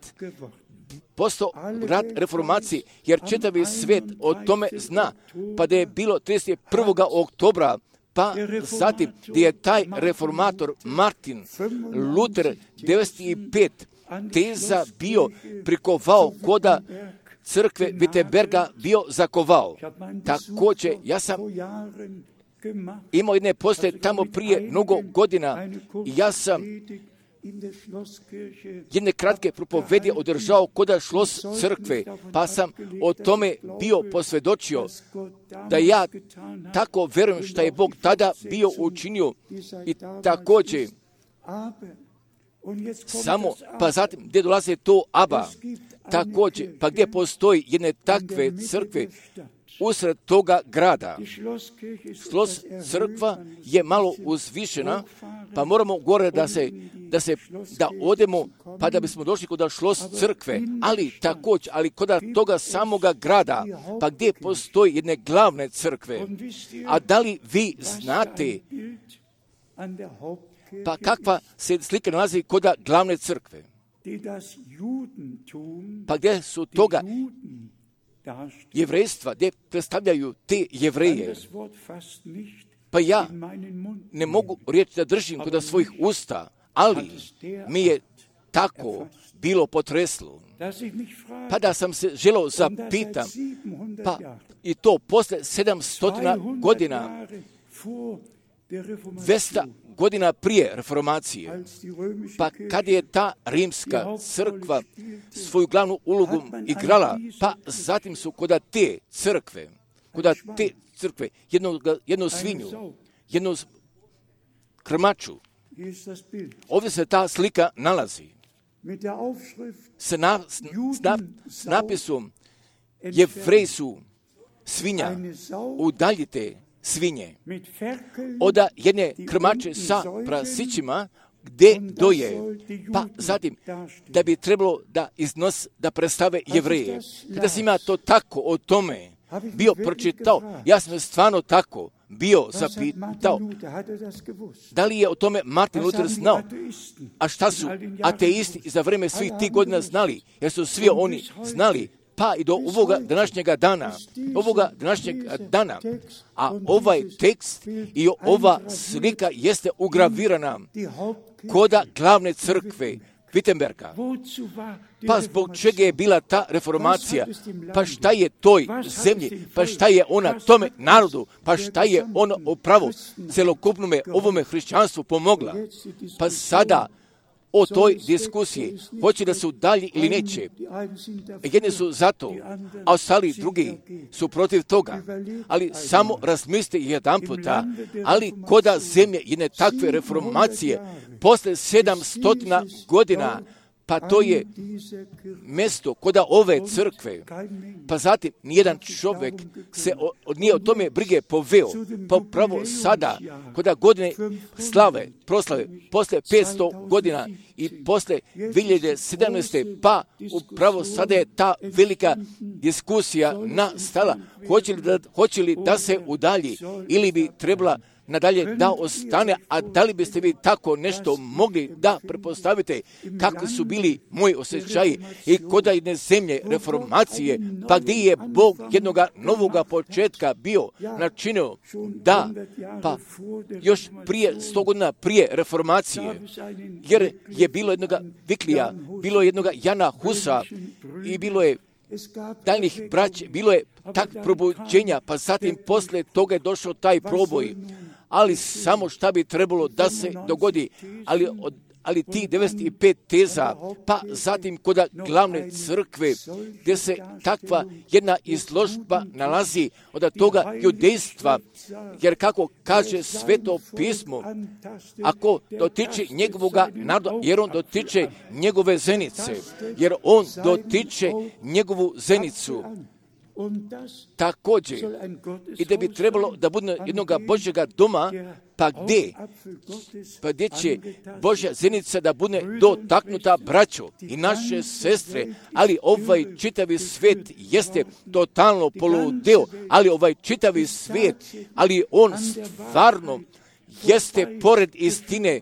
postao grad reformacije, jer čitavi svijet o tome zna, pa da je bilo 31. oktobra, pa zatim gdje je taj reformator Martin Luther 95 teza bio prikovao koda crkve Wittenberga bio zakovao. Također, ja sam imao jedne postaje tamo prije mnogo godina i ja sam jedne kratke propovedi održao koda šlos crkve, pa sam o tome bio posvjedočio da ja tako verujem što je Bog tada bio učinio i također samo, pa zatim gdje dolaze to Aba, također, pa gdje postoji jedne takve crkve usred toga grada. Šlos crkva je malo uzvišena, pa moramo gore da odemo, pa da bismo došli kod šlos crkve, ali također, ali kod toga samoga grada, pa gdje postoji jedne glavne crkve. A da li vi znate, pa kakva se slika nalazi kod glavne crkve? Pa gdje su toga jevrejstva, gdje predstavljaju te jevreje. Pa ja ne mogu riječ da držim kod svojih usta, ali mi je tako bilo potreslo. Pa da sam se želeo zapitam, pa i to posle 700 godina, 200 godina prije reformacije, pa kad je ta rimska crkva svoju glavnu ulogu igrala, pa zatim su kod te crkve, jednu svinju, jednu krmaču, ovdje se ta slika nalazi, s napisom Jevreji su svinja, udaljite svinje od jedne krmače sa prasićima gdje doje, pa zatim da bi trebalo da predstave Jevreje. Kada sam ja to tako o tome bio pročitao, ja sam stvarno tako bio zapitao, da li je o tome Martin Luther znao, a šta su ateisti za vreme svih tih godina znali, jer su svi oni znali, pa i do ovoga današnjeg dana, a ovaj tekst i ova slika jeste ugravirana koda glavne crkve Wittenberga. Pa zbog čega je bila ta reformacija? Pa šta je toj zemlji? Pa šta je ona tome narodu? Pa šta je ona upravo celokupnome ovome hrišćanstvu pomogla? Pa sada o toj diskusiji, hoće da se udalji ili neće. Jedni su za to, a ostali drugi su protiv toga. Ali samo razmislite jedan puta, ali koda zemlje jedne takve reformacije, posle 700 godina, pa to je mjesto koda ove crkve, pa zatim nijedan čovjek se nije o tome brige poveo, pa upravo sada, koda godine proslave, posle 500 godina i posle 2017. pa upravo sada je ta velika diskusija nastala, hoće li da se udalji ili bi trebala nadalje da ostane, a da li biste vi tako nešto mogli da prepostavite kakvi su bili moji osjećaji i kod jedne zemlje reformacije, pa gdje je Bog jednoga novoga početka bio načinio da, pa još prije 100 godina prije reformacije, jer je bilo jednoga Viklija, bilo je jednoga Jana Husa i bilo je daljnih braća, bilo je tak probuđenja, pa zatim posle toga je došao taj proboj, ali samo šta bi trebalo da se dogodi, ali ti 95 teza, pa zatim kod glavne crkve, gdje se takva jedna izložba nalazi od toga judejstva, jer kako kaže Sveto pismo, ako dotiče njegovoga naroda, jer on dotiče njegove zenice, jer on dotiče njegovu zenicu, također, i da bi trebalo da bude jednoga Božjega doma, pa gdje će Božja zenica da bude dotaknuta, braćo i naše sestre, ali ovaj čitavi svijet jeste totalno poludeo, ali ovaj čitavi svijet, ali on stvarno jeste pored istine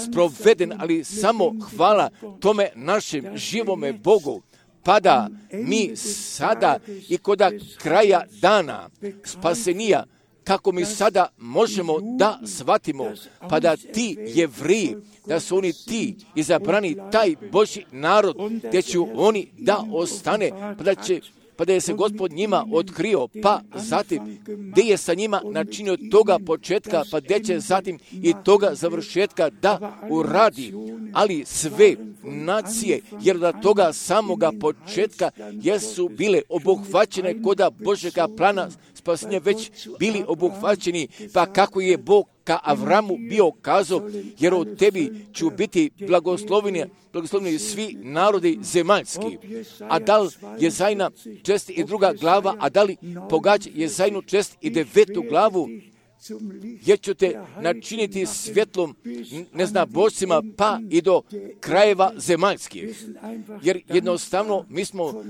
sproveden, ali samo hvala tome našem živome Bogu. Pa da mi sada i kod kraja dana spasenija, kako mi sada možemo da shvatimo, pa da ti Jevreji, da su oni ti izabrani, taj Božji narod, gdje će oni da ostane, pa da je se Gospod njima otkrio, pa zatim gdje je sa njima načinio toga početka, pa gdje će zatim i toga završetka da uradi, ali sve nacije, jer da toga samoga početka jesu bile obuhvaćene koda Božjega plana spasenja već bili obuhvaćeni, pa kako je Bog ka Avramu bio kazao, jer od tebi ću biti blagosloveni svi narodi zemaljski. A da li Jezajna čest i 2. glava, a da li pogađa Jezajnu čest i 9. glavu, jer ću te načiniti svjetlom neznabošcima pa i do krajeva zemaljskih. Jer jednostavno mi smo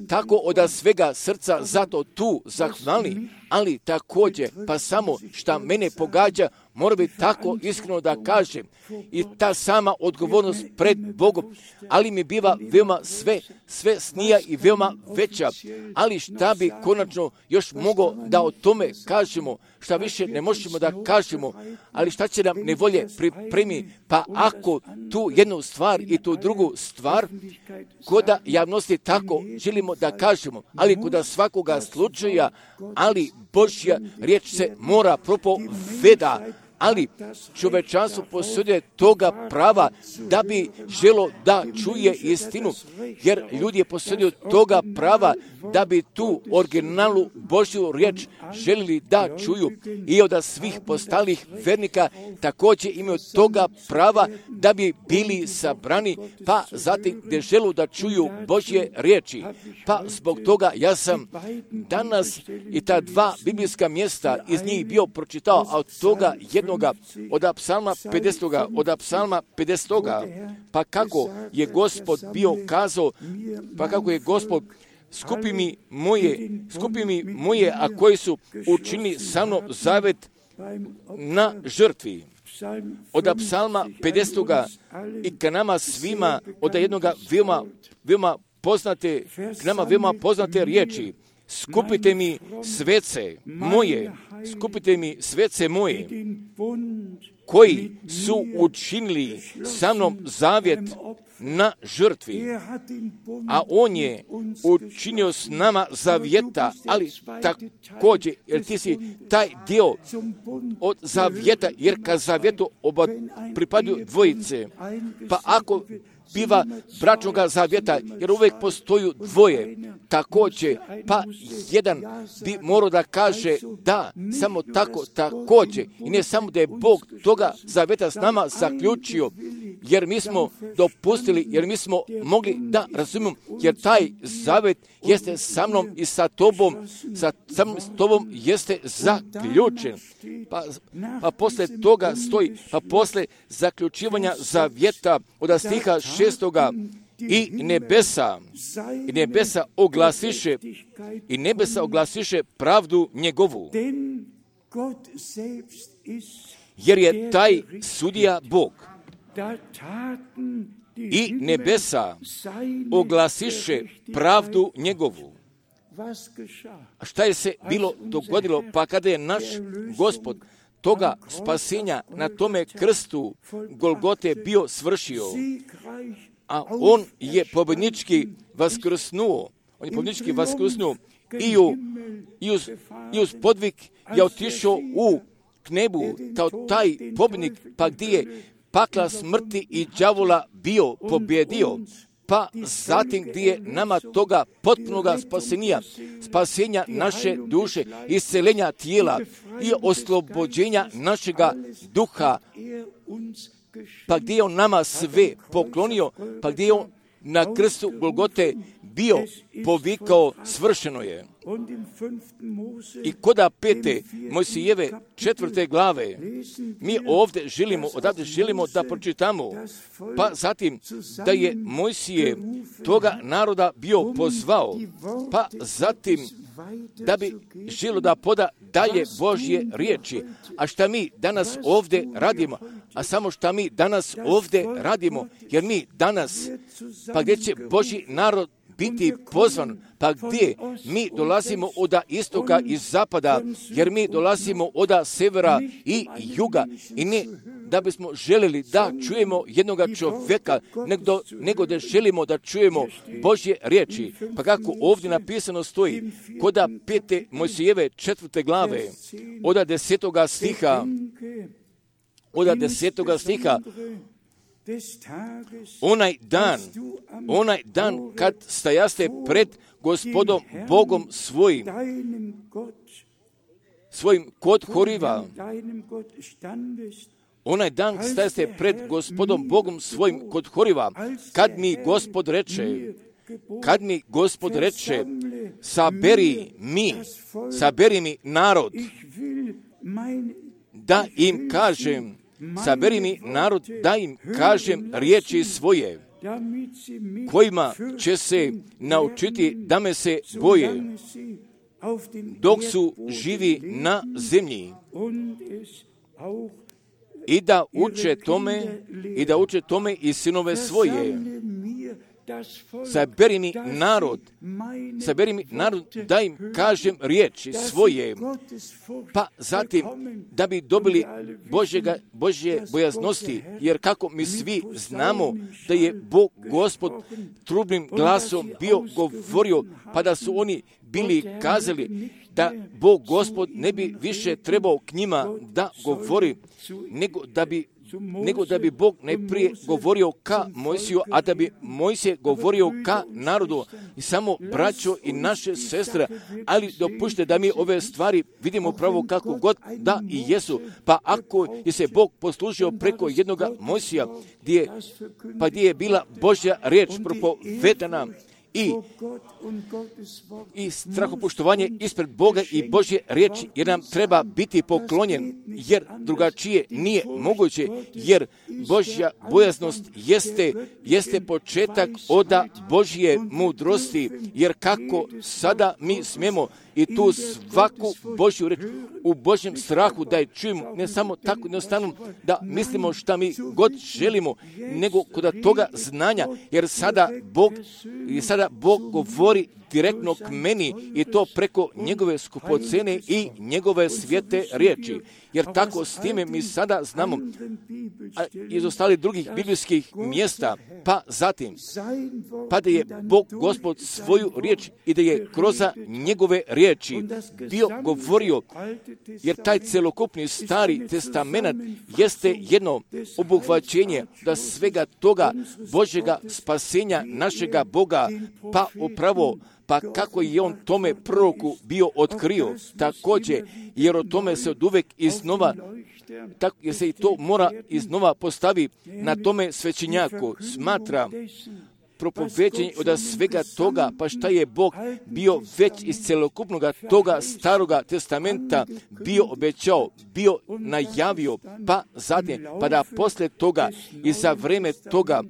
tako od svega srca zato tu zahvalni, ali također, pa samo šta mene pogađa, mora biti tako iskreno da kažem. I ta sama odgovornost pred Bogom, ali mi biva veoma sve snija i veoma veća. Ali šta bi konačno još mogao da o tome kažemo, šta više ne možemo da kažemo, ali šta će nam nevolje pripremi, pa ako tu jednu stvar i tu drugu stvar, koda javnosti tako želimo da kažemo, ali koda svakoga slučaja, ali Božja riječ se mora propoveda, ali čovečanstvo posjeduje toga prava da bi želo da čuje istinu, jer ljudi posjeduju toga prava da bi tu originalu Božju riječ želili da čuju i od svih postalih vernika također imaju toga prava da bi bili sabrani, pa zatim gdje želu da čuju Božje riječi. Pa zbog toga ja sam danas i ta dva biblijska mjesta iz njih bio pročitao, a od toga jednoga od Psalma 50. Pa kako je Gospod bio kazao, pa kako je Gospod skupi mi moje, a koji su učinili sa mnom zavet na žrtvi. Od Psalma 50. i ka nama svima od jednoga veoma poznate riječi. Skupite mi svece moje, koji su učinili sa mnom zavjet na žrtvi, a on je učinio s nama zavjeta, ali također, jer ti si taj dio od zavjeta, jer ka zavjetu oba pripadaju dvojice, pa ako biva bračnoga zavjeta, jer uvijek postoju dvoje, također, pa jedan bi morao da kaže da, samo tako, također, i ne samo da je Bog toga zavjeta s nama zaključio, jer mi smo dopustili, jer mi smo mogli da razumijemo, jer taj zavjet jeste sa mnom i sa tobom, s tobom jeste zaključen. Pa posle toga stoji, pa posle zaključivanja zavjeta od stiha 6. i nebesa oglasiše pravdu njegovu. Jer je taj sudija Bog. I nebesa oglasiše pravdu njegovu. A šta je se bilo dogodilo? Pa kada je naš Gospod toga spasenja na tome krstu Golgote bio svršio, a on je pobjednički vaskrsnuo. I uz podvig je otišao u nebu, kao taj pobjednik, pa gdje je pakla smrti i đavola bio pobjedio, pa zatim gdje je nama toga potpunoga spasenja naše duše, isceljenja tijela i oslobođenja našega duha, pa gdje je on nama sve poklonio, pa gdje je on na krstu Golgote bio povikao svršeno je. I koda 5. Mojsijeve 4. glave, mi odavde želimo da pročitamo, pa zatim da je Mojsije toga naroda bio pozvao, pa zatim da bi želio da poda dalje Božje riječi. A šta mi danas ovdje radimo? A samo šta mi danas ovdje radimo? Jer mi danas, pa gdje će Božji narod biti pozvan, pa gdje mi dolazimo od istoka i zapada, jer mi dolazimo od severa i juga, i ne da bismo željeli da čujemo jednoga čovjeka, nego da želimo da čujemo Božje riječi. Pa kako ovdje napisano stoji, koda 5. Mojsijeve 4. glave, od 10. stiha, onaj dan kad stajaste pred Gospodom Bogom svojim kod Horiva, onaj dan stajaste pred Gospodom Bogom svojim kod Horiva, kad mi Gospod reče, saberi mi narod, da im kažem riječi svoje, kojima će se naučiti da me se boje, dok su živi na zemlji i da uče tome i sinove svoje. Saberi mi narod, da im kažem riječi svoje, pa zatim da bi dobili Božje bojaznosti, jer kako mi svi znamo da je Bog Gospod trubnim glasom bio govorio, pa da su oni bili kazali da Bog Gospod ne bi više trebao k njima da govori, nego da bi Bog najprije govorio ka Mojsiju, a da bi Mojsije govorio ka narodu. I samo braćo i naše sestre, ali dopušte da mi ove stvari vidimo pravo kako god da i jesu. Pa ako je se Bog poslužio preko jednoga Mojsija, gdje je bila Božja riječ propovedana, i strahopoštovanje ispred Boga i Božje riječi, jer nam treba biti poklonjen, jer drugačije nije moguće, jer Božja bojaznost jeste početak oda Božje mudrosti, jer kako sada mi smemo i tu svaku Božju riječ u Božjem strahu da je čujemo, ne samo tako jednostavno da mislimo šta mi god želimo, nego kod toga znanja, jer sada Bog govori direktno k meni i to preko njegove skupocene i njegove svijete riječi. Jer tako s time mi sada znamo iz ostalih drugih biblijskih mjesta, pa zatim, pa da je Bog Gospod svoju riječ i da je kroz njegove riječi bio govorio, jer taj celokupni Stari testament jeste jedno obuhvaćenje da svega toga Božjega spasenja našega Boga, pa upravo pa kako je on tome proroku bio otkrio, također, jer o tome se od uvek iznova, jer se i to mora iznova postavi na tome svećenjaku, smatra propoveđenje od svega toga, pa šta je Bog bio već iz celokupnog toga staroga testamenta bio obećao, bio najavio, pa zatim, pa da posle toga i za vreme toga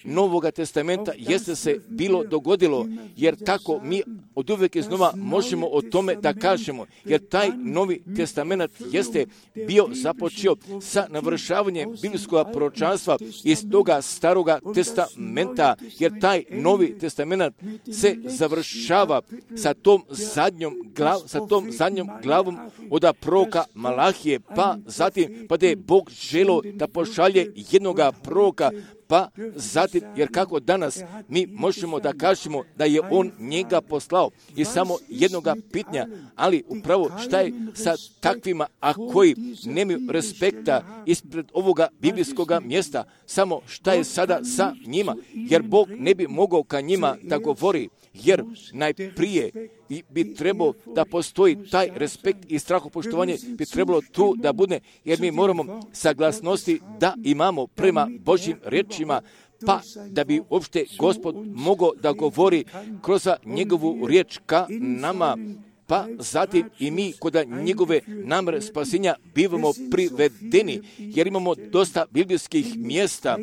Novoga testamenta jeste se bilo dogodilo, jer tako mi od uvijek iznova možemo o tome da kažemo, jer taj Novi testament jeste bio započeo sa navršavanjem biblijskog proročanstva iz toga staroga testamenta, jer taj Novi testament se završava sa tom zadnjom glavom od proroka Malahije, pa zatim pa da je Bog želio da pošalje jednoga proroka, pa zatim, jer kako danas mi možemo da kažemo da je on njega poslao i samo jednoga pitanja, ali upravo šta je sa takvima, a koji nemaju respekta ispred ovoga biblijskog mjesta, samo šta je sada sa njima, jer Bog ne bi mogao ka njima da govori, jer najprije bi trebalo da postoji taj respekt i strahopoštovanje bi trebalo tu da bude, jer mi moramo saglasnosti da imamo prema Božjim riječima, pa da bi uopšte Gospod mogao da govori kroz njegovu riječ ka nama, pa zatim i mi kod njegove namere spasenja bivamo privedeni, jer imamo dosta biblijskih mjesta,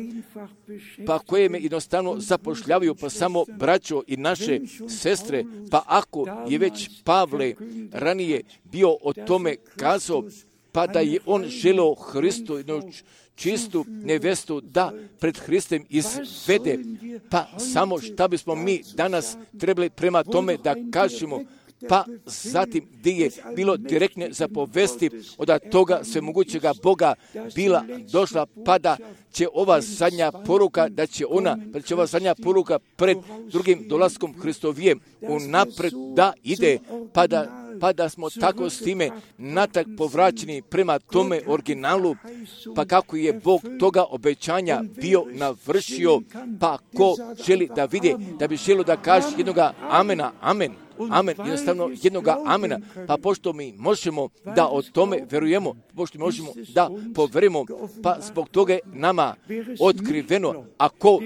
pa koje me jednostavno zapošljavaju, pa samo braćo i naše sestre, pa ako je već Pavle ranije bio o tome kazao, pa da je on želeo Hristu čistu nevestu da pred Hristem izvede, pa samo šta bismo mi danas trebali prema tome da kažemo, pa zatim gdje je bilo direktne zapovesti od toga svemogućega Boga bila došla, pa da će ova zadnja poruka, da će ova zadnja poruka pred drugim dolaskom Hristovijem unapred da ide, pa da smo tako s time natak povraćeni prema tome originalu, pa kako je Bog toga obećanja bio navršio, pa ko želi da vidi, da bi želio da kaže jednoga amena, amen. Amen, jednostavno jednoga amena, pa pošto mi možemo da o tome verujemo, pošto možemo da poverujemo, pa zbog toga je nama otkriveno, ako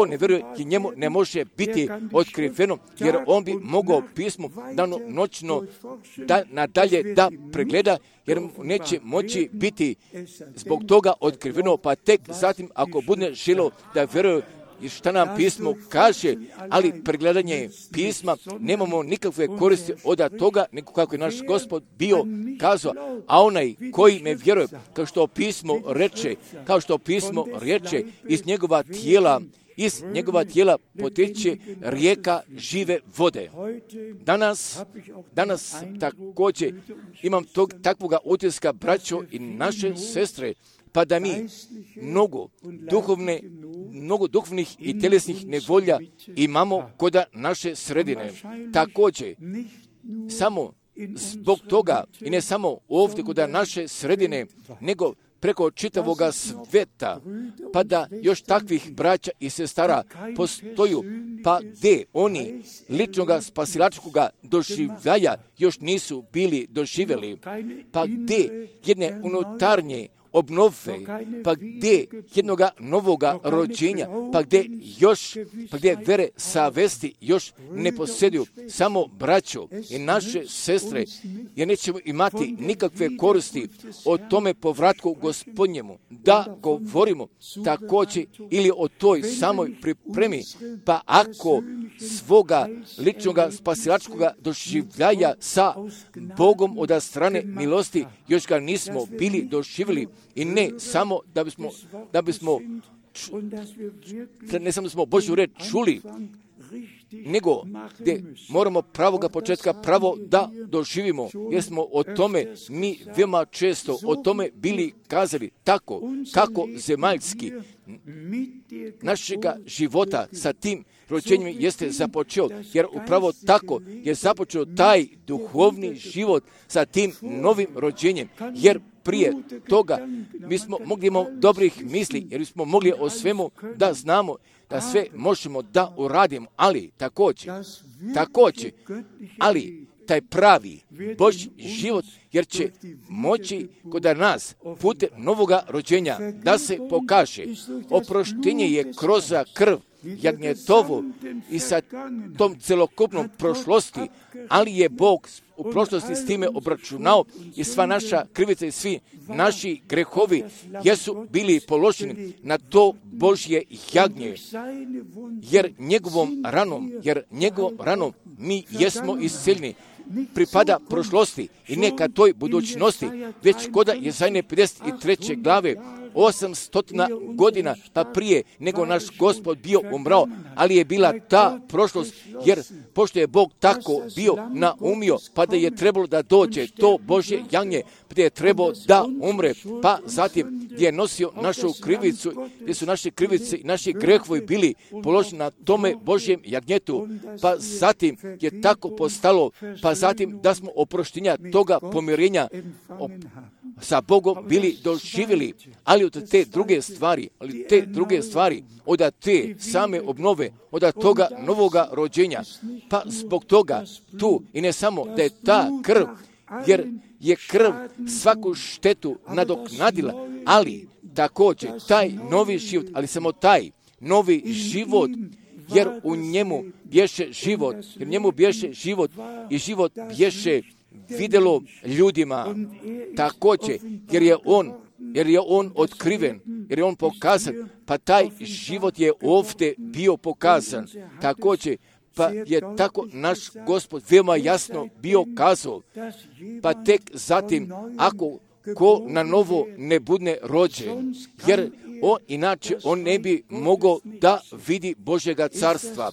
ne veruje, njemu ne može biti otkriveno, jer on bi mogao pismo dano noćno da nadalje da pregleda, jer neće moći biti zbog toga otkriveno, pa tek zatim ako bude želio da veruje, i šta nam pismo kaže, ali pregledanje pisma nemamo nikakve koristi od toga, nego kako je naš Gospod bio kazao, a onaj koji me vjeruje, kao što pismo reče, iz njegova tijela potječe rijeka žive vode. Danas također imam takvoga utiska, braćo i naše sestre, pa da mi mnogo duhovnih i tjelesnih nevolja imamo kod naše sredine. Također, samo zbog toga, i ne samo ovdje kod naše sredine, nego preko čitavoga sveta, pa da još takvih braća i sestara postoju, pa gdje oni ličnoga spasilačkoga doživljaja još nisu bili doživjeli, pa gdje jedne unutarnje obnove, pa gdje jednoga novoga rođenja, pa gdje vere savesti još ne posjeduju, samo braćo i naše sestre, jer nećemo imati nikakve koristi o tome povratku Gospodnjemu, da govorimo također ili o toj samoj pripremi, pa ako svoga ličnoga spasilačkoga doživljaja sa Bogom od strane milosti još ga nismo bili doživjeli, i ne samo ne samo da smo Božju reč čuli, nego gdje moramo pravoga početka pravo da doživimo, jer smo o tome mi veoma često o tome bili kazali, tako kako zemaljski našega života sa tim rođenjem jeste započeo, jer upravo tako je započeo taj duhovni život sa tim novim rođenjem, jer prije toga mi smo mogli imati dobrih misli, jer smo mogli o svemu da znamo, da sve možemo da uradimo, ali također, ali taj pravi Božji život, jer će moći kod nas putem novoga rođenja da se pokaže. Oproštenje je kroz krv jagnjetovu i sa tom celokupnom prošlosti, ali je Bog u prošlosti s time obračunao i sva naša krivica i svi naši grehovi jesu bili položeni na to Božje jagnje, jer njegovom ranom mi jesmo isceljeni. Pripada prošlosti i neka toj budućnosti, već koda Jezajne 53. glave 800 godina pa prije nego naš Gospod bio umrao, ali je bila ta prošlost, jer pošto je Bog tako bio naumio, pa da je trebalo da dođe to Božje jagnje, gdje je trebalo da umre, pa zatim gdje je nosio našu krivicu, gdje su naše krivice i naši grehovi bili položeni na tome Božjem jagnjetu, pa zatim je tako postalo, pa zatim da smo oproštenja toga pomirenja sa Bogom bili doživjeli, ali od te druge stvari, od te same obnove, od toga novoga rođenja, pa zbog toga tu i ne samo da je ta krv, jer je krv svaku štetu nadoknadila, ali također taj novi život, ali samo taj novi život, jer u njemu bješe život, i život bješe vidjelo ljudima također, jer je on otkriven, jer je on pokazan, pa taj život je ovdje bio pokazan također, pa je tako naš Gospod veoma jasno bio kazao, pa tek zatim ako ko na novo ne bude rođen, jer inače on ne bi mogao da vidi Božjega carstva.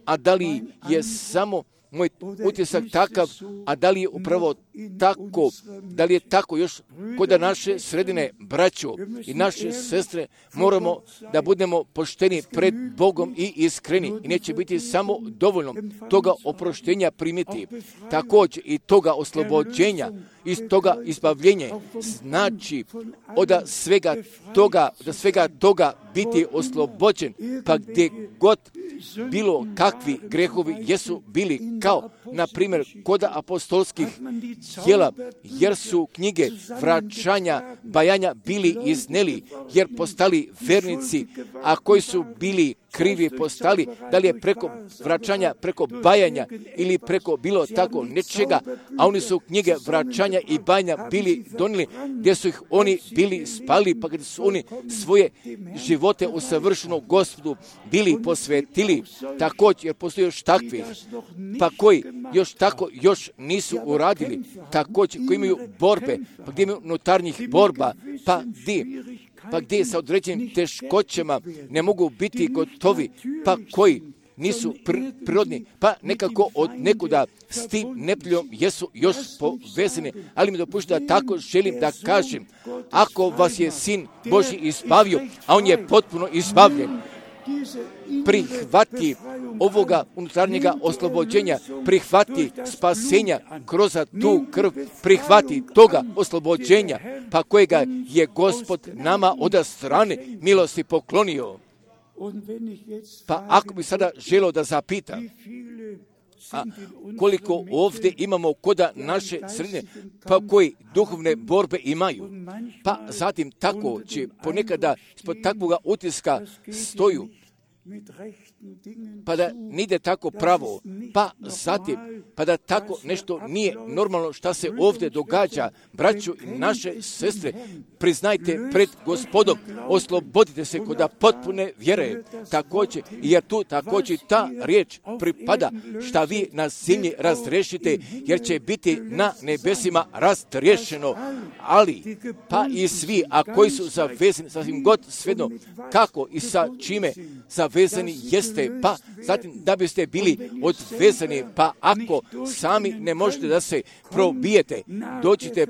A da li je samo moj utisak takav, a da li je upravo tako, da li je tako još kod naše sredine, braćo i naše sestre, moramo da budemo pošteni pred Bogom i iskreni, i neće biti samo dovoljno toga oproštenja primiti, također i toga oslobođenja, iz toga izbavljenja, znači od svega toga biti oslobođen, pa gdje god bilo kakvi grehovi jesu bili, kao na primjer kod apostolskih djela, jer su knjige vraćanja, bajanja bili izneli, jer postali vernici, a koji su bili krivi postali, da li je preko vraćanja, preko bajanja ili preko bilo tako nečega, a oni su knjige vraćanja i bajanja bili donijeli, gdje su ih oni bili spali, pa gdje su oni svoje živote u savršenom Gospodu bili posvetili, također, jer postoji još takvih, pa koji još nisu uradili, također, koji imaju borbe, pa gdje imaju unutarnjih borba, pa gdje sa određenim teškoćama ne mogu biti gotovi, pa koji nisu prirodni, pa nekako od nekuda s tim nepljem jesu još povezani. Ali mi dopušta da tako želim da kažem, ako vas je Sin Božji izbavio, a on je potpuno izbavljen, prihvati ovoga unutarnjega oslobođenja, prihvati spasenja kroz tu krv, prihvati toga oslobođenja, pa kojega je Gospod nama od strane milosti poklonio. Pa ako bi sada želio da zapita, a koliko ovdje imamo koda naše sredine, pa koji duhovne borbe imaju, pa zatim tako će ponekada ispod takvoga utiska stoju, pa da nide tako pravo, pa zatim, pa da tako nešto nije normalno šta se ovdje događa. Braćo i naše sestre, priznajte pred Gospodom, oslobodite se kod potpune vjere, također, jer tu također ta riječ pripada, šta vi na zemlji razrešite, jer će biti na nebesima razriješeno. Ali, pa i svi, a koji su zavezani, sasvim god svejedno, kako i sa čime zavezani jeste, pa zatim da biste bili odvezani, pa ako sami ne možete da se probijete, dođite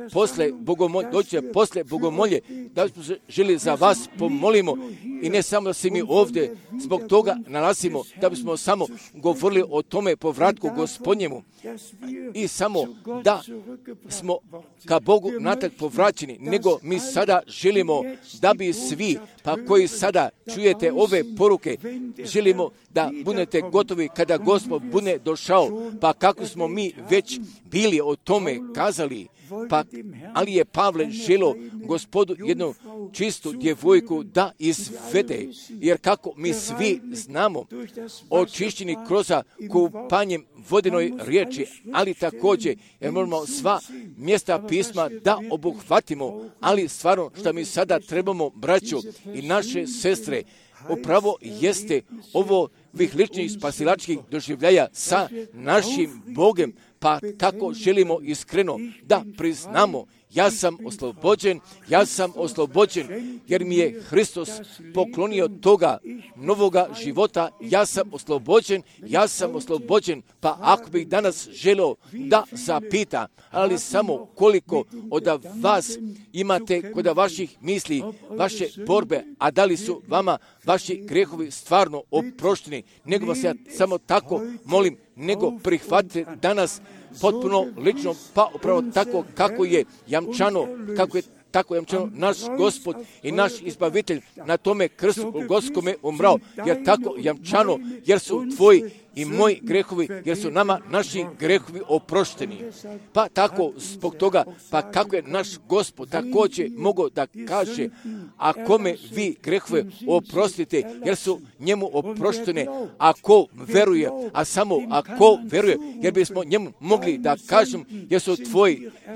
posle bogomolje, da bismo se želi za vas pomolimo i ne samo da se mi ovdje zbog toga nalazimo, da bismo samo govorili o tome povratku Gospodnjemu i samo da smo ka Bogu natrag povraćeni, nego mi sada želimo da bi svi, pa koji sada čujete ove poruke, želimo da budete gotovi kada Gospod bude došao, pa kako smo mi već bili o tome kazali, pa ali je Pavle želio Gospodu jednu čistu djevojku da izvede, jer kako mi svi znamo, očišćeni kroz kupanjem vodenoj riječi, ali također jer moramo sva mjesta pisma da obuhvatimo, ali stvarno što mi sada trebamo, braćo i naše sestre, upravo jeste ovo ovih ličnih spasilačkih doživljaja sa našim Bogom, pa tako želimo iskreno da priznamo, ja sam oslobođen, jer mi je Hristos poklonio toga novoga života, ja sam oslobođen, pa ako bih danas želio da zapita, ali samo koliko od vas imate kod vaših misli, vaše borbe, a da li su vama vaši grehovi stvarno oprošteni, nego vas ja samo tako molim, nego prihvatite danas potpuno lično, pa upravo tako kako je jamčano naš Gospod i naš Izbavitelj na tome krstu Golgotskome umrao, jer tako jamčano, jer su tvoji i moji grehovi, jer su nama naši grehovi oprošteni. Pa tako zbog toga, pa kako je naš Gospod također mogao da kaže, a kome vi grehove oprostite, jer su njemu oproštene, ako veruje, a samo ako veruje, jer bismo njemu mogli da kažem, jer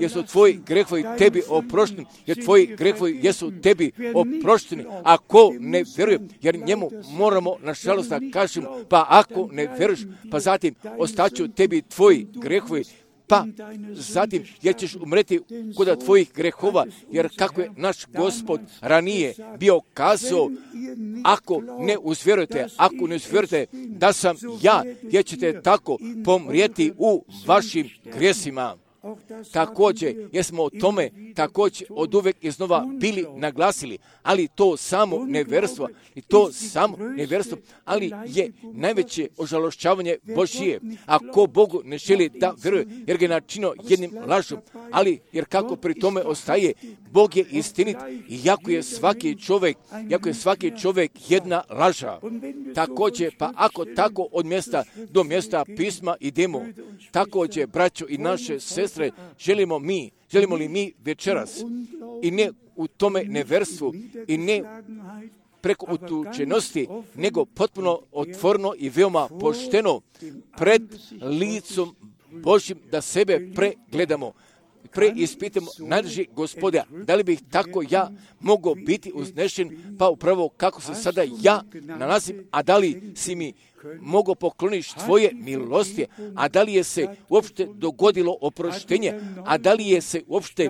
su tvoji grehovi tebi oprošteni, jer tvoji grehovi jesu tebi oprošteni, ako ne veruje, jer njemu moramo nažalost da kažem, pa ako ne veruješ, pa zatim ostaću tebi tvoji grehovi, pa zatim jer ćeš umreti kod tvojih grehova, jer kako je naš Gospod ranije bio kazao, ako ne uzvjerujete da sam ja, jer ćete tako pomrijeti u vašim grijesima. Također, jer smo o tome također od uvek iznova bili naglasili, ali to samo neverstvo, ali je najveće ožalošćavanje Božije, ako Bogu ne želi da veruje, jer ga je načinio jednim lažom, ali jer kako pri tome ostaje, Bog je istinit, iako je svaki čovjek jedna laža. Također, pa ako tako od mjesta do mjesta pisma idemo, također, braćo i naše sestre, želimo li mi večeras i ne u tome neverstvu i ne preko utučenosti, nego potpuno otvoreno i veoma pošteno pred licom Božjim da sebe pregledamo, preispitamo najdraži Gospoda, da li bih tako ja mogao biti uznešen, pa upravo kako se sada ja nalazim, a da li si mi mogao pokloniš tvoje milosti, a da li je se uopšte dogodilo oproštenje, a da li je se uopšte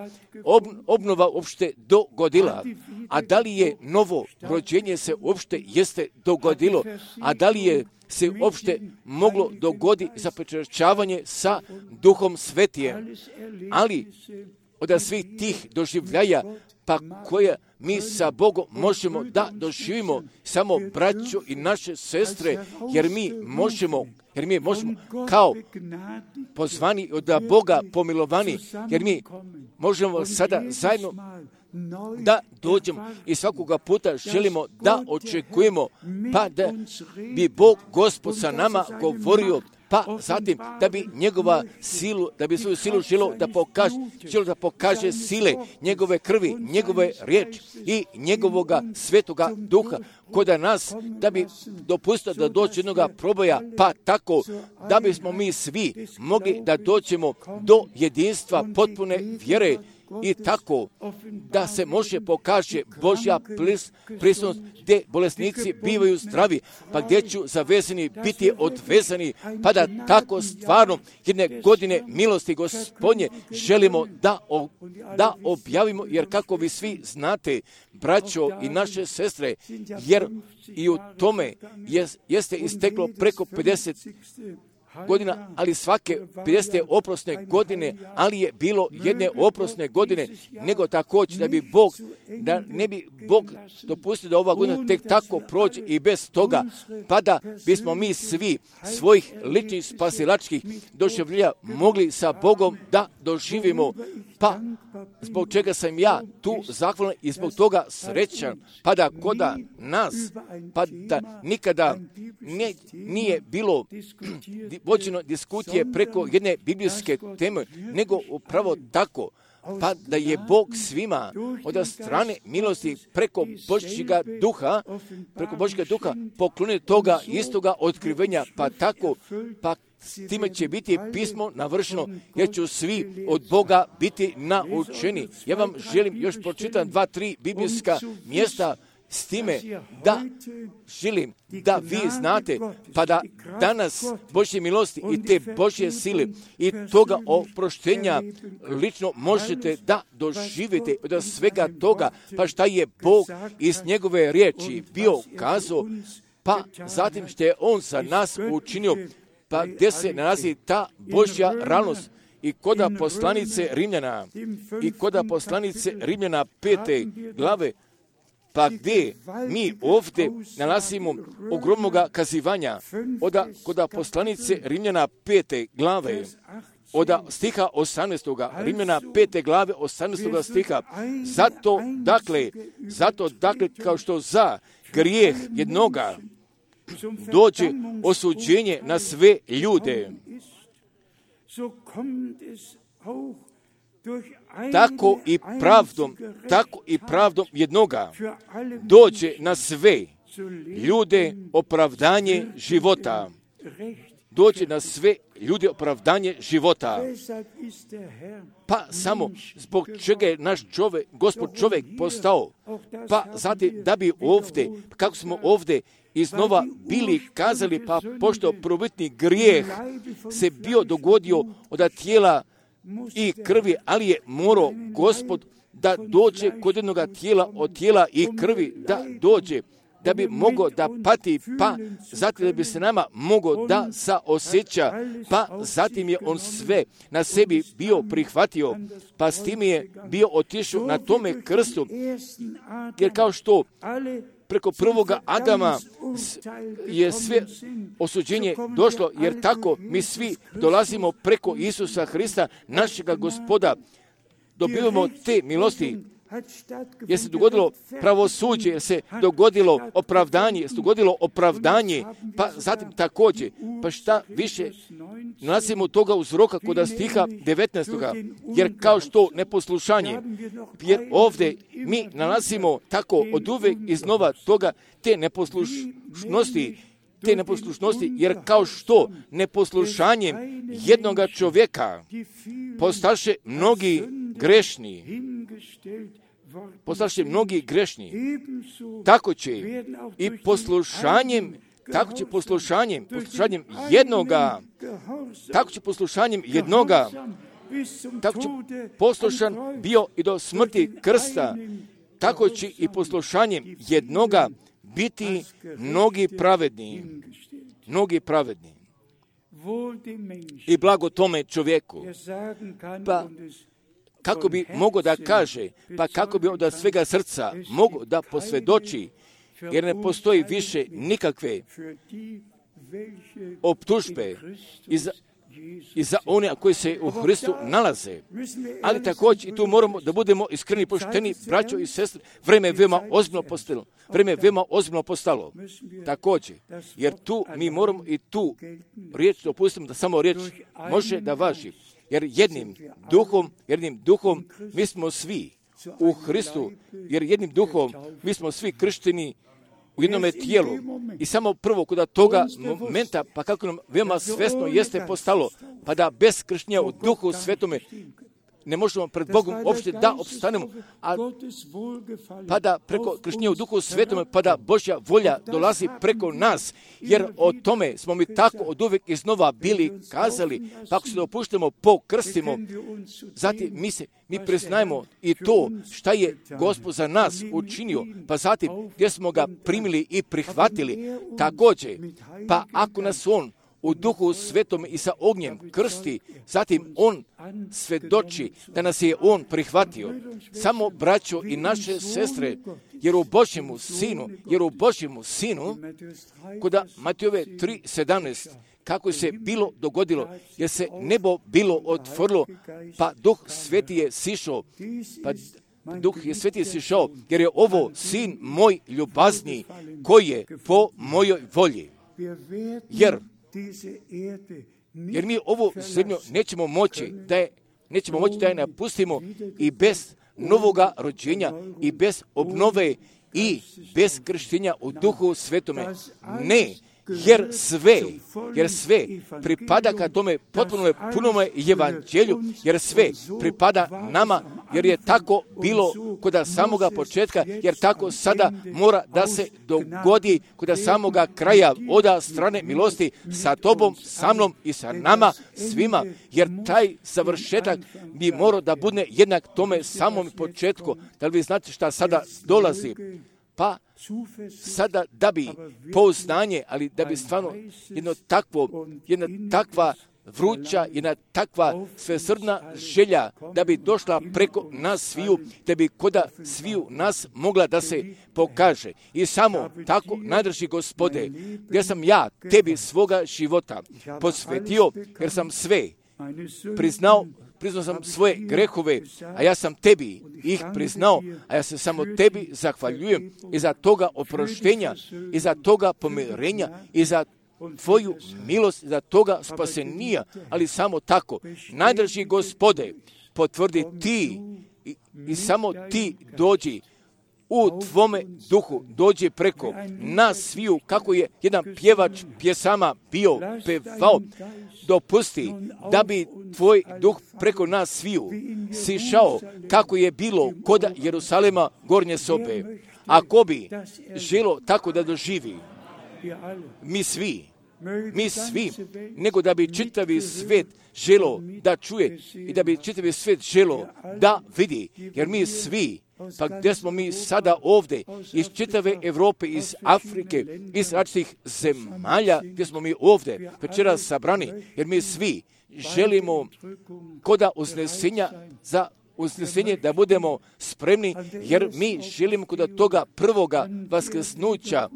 obnova uopšte dogodila, a da li je novo rođenje se uopšte jeste dogodilo, a da li je se uopšte moglo dogodi zapečaćavanje sa Duhom Svetijem. Ali od svih tih doživljaja, pa koje mi sa Bogom možemo da doživimo samo braćo i naše sestre, jer mi možemo kao pozvani od Boga pomilovani, jer mi možemo sada zajedno da dođemo i svakoga puta želimo da očekujemo, pa da bi Bog Gospod sa nama govorio, pa zatim da bi njegova silu, da bi svoju silu želio da pokaže sile njegove krvi, njegove riječi i njegovoga svetoga duha kod nas, da bi dopustio da dođe jednoga proboja, pa tako da bismo mi svi mogli da dođemo do jedinstva potpune vjere i tako da se može pokaže Božja prisutnost gdje bolesnici bivaju zdravi, pa gdje ću zavezani biti odvezani, pa da tako stvarno jedne godine milosti Gospodnje želimo da objavimo, jer kako vi svi znate, braćo i naše sestre, jer i u tome jeste isteklo preko 50 godina, ali svake 50. oprosne godine, ali je bilo jedne oprosne godine, nego također da ne bi Bog dopustio da ova godina tek tako prođe i bez toga, pa da bismo mi svi svojih ličnih spasilačkih doživljaja mogli sa Bogom da doživimo, pa zbog čega sam ja tu zahvalan i zbog toga srećan, pa da kod nas, pa da nikada nije bilo vođeno diskusije preko jedne biblijske teme, nego upravo tako, pa da je Bog svima od strane milosti preko Božjega duha poklonio toga istoga otkrivenja, pa tako, pa s time će biti pismo navršeno, jer će svi od Boga biti naučeni. Ja vam želim još pročitam 2-3 biblijska mjesta s time da želim da vi znate, pa da danas Božje milosti i te Božje sile i toga oproštenja lično možete da doživite od svega toga, pa šta je Bog iz njegove riječi bio kazao, pa zatim što je On za nas učinio, pa gdje se nalazi ta Božja realnost. I kod poslanice Rimljana 5. glave, pa gdje mi ovdje nalazimo ogromnoga kazivanja kod poslanice Rimljana 5. glave, od stiha 18. Rimljana 5. glave 18. stiha. Zato dakle, kao što za grijeh jednoga dođe osuđenje na sve ljude, tako i pravdom jednoga dođe na sve ljude opravdanje života. Dođe na sve ljude opravdanje života. Pa samo zbog čega je naš Gospod čovjek postao, pa zatim da bi ovdje, kako smo ovdje iznova bili kazali, pa pošto prvobitni grijeh se bio dogodio od tijela i krvi, ali je morao Gospod da dođe kod jednog tijela, od tijela i krvi da dođe, da bi mogao da pati, pa zatim da bi se nama mogao da saosjeća, pa zatim je On sve na sebi bio prihvatio, pa s tim je bio otišao na tome krstu, jer kao što preko prvoga Adama je sve osuđenje došlo, jer tako mi svi dolazimo preko Isusa Hrista, našega Gospoda, dobivamo te milosti, jer se dogodilo pravosuđe, jer se dogodilo opravdanje, jer se dogodilo opravdanje, pa zatim također, pa šta više nalazimo toga uzroka kod stiha 19. Jer kao što neposlušanje, jer ovdje mi nalazimo tako od uvek iznova toga te neposlušnosti, jer kao što neposlušanjem jednoga čovjeka postaše mnogi grešni, tako će i poslušanjem jednoga, tako će poslušan bio i do smrti krsta, tako će i poslušanjem jednoga biti mnogi pravedni. I blago tome čovjeku. Pa kako bi mogao da kaže, pa kako bi od svega srca mogao da posvjedoči, jer ne postoji više nikakve optužbe i za one koji se u Hristu nalaze. Ali također i tu moramo da budemo iskreni, pošteni, braćo i sestre, vreme je veoma ozbiljno postalo. Također, jer tu mi moramo i tu riječ dopustimo da samo riječ može da važi. Jer jednim duhom mi smo svi u Hristu, jer jednim duhom mi smo svi kršteni u jednome tijelu. I samo prvo kod toga momenta, pa kako nam veoma svesno jeste postalo, pa da bez krštenja u Duhu Svetome ne možemo pred Bogom uopšte da opstanemo, pa da preko krštenja u Duhu Svetome, pa da Božja volja dolazi preko nas, jer o tome smo mi tako od uvijek iznova bili kazali, pa ako se dopuštamo, pokrstimo, zatim mi priznajemo i to šta je Gospod za nas učinio, pa zatim gdje smo ga primili i prihvatili, također, pa ako nas on u Duhu Svetom i sa ognjem krsti, zatim on svedoči da nas je on prihvatio. Samo braćo i naše sestre, jer u Božjemu sinu, kod Matejove 3:17, kako se bilo dogodilo, jer se nebo bilo otvorilo, pa Duh Sveti je sišao, jer je ovo sin moj ljubazni, koji je po mojoj volji. Jer mi ovu zemlju nećemo moći da je napustimo i bez novoga rođenja i bez obnove i bez krštenja u Duhu Svetome. Ne, jer sve pripada ka tome potpunome punome evanđelju, jer sve pripada nama, jer je tako bilo kod samoga početka, jer tako sada mora da se dogodi kod samoga kraja od strane milosti sa tobom, sa mnom i sa nama svima, jer taj završetak bi morao da bude jednak tome samom početku. Da li vi znate šta sada dolazi? Pa sada da bi pouznanje, ali da bi stvarno jedna takva vruća, jedna takva svesrdna želja da bi došla preko nas sviju, da bi kod sviju nas mogla da se pokaže. I samo tako, najdraži Gospode, jer sam ja tebi svoga života posvetio, jer sam sve priznao sam svoje grehove, a ja sam tebi ih priznao, a ja se samo tebi zahvaljujem i za toga oproštenja, i za toga pomirenja, i za tvoju milost, i za toga spasenija, ali samo tako. Najdraži Gospode, potvrdi ti i samo ti dođi u tvome duhu, dođe preko nas sviju, kako je jedan pjevač pjesama bio pevao, dopusti da bi tvoj duh preko nas sviju sišao, kako je bilo kod Jerusalema gornje sobe. Ako bi želo tako da doživi, mi svi, nego da bi čitavi svet želo da čuje i da bi čitavi svet želo da vidi, jer mi svi, pa gdje smo mi sada ovdje, iz čitave Europe, iz Afrike, iz različitih zemalja, gdje smo mi ovdje večeras sabrani, jer mi svi želimo koda uznesenja za usnesenje, da budemo spremni, jer mi želimo kod toga prvoga vaskrsnuća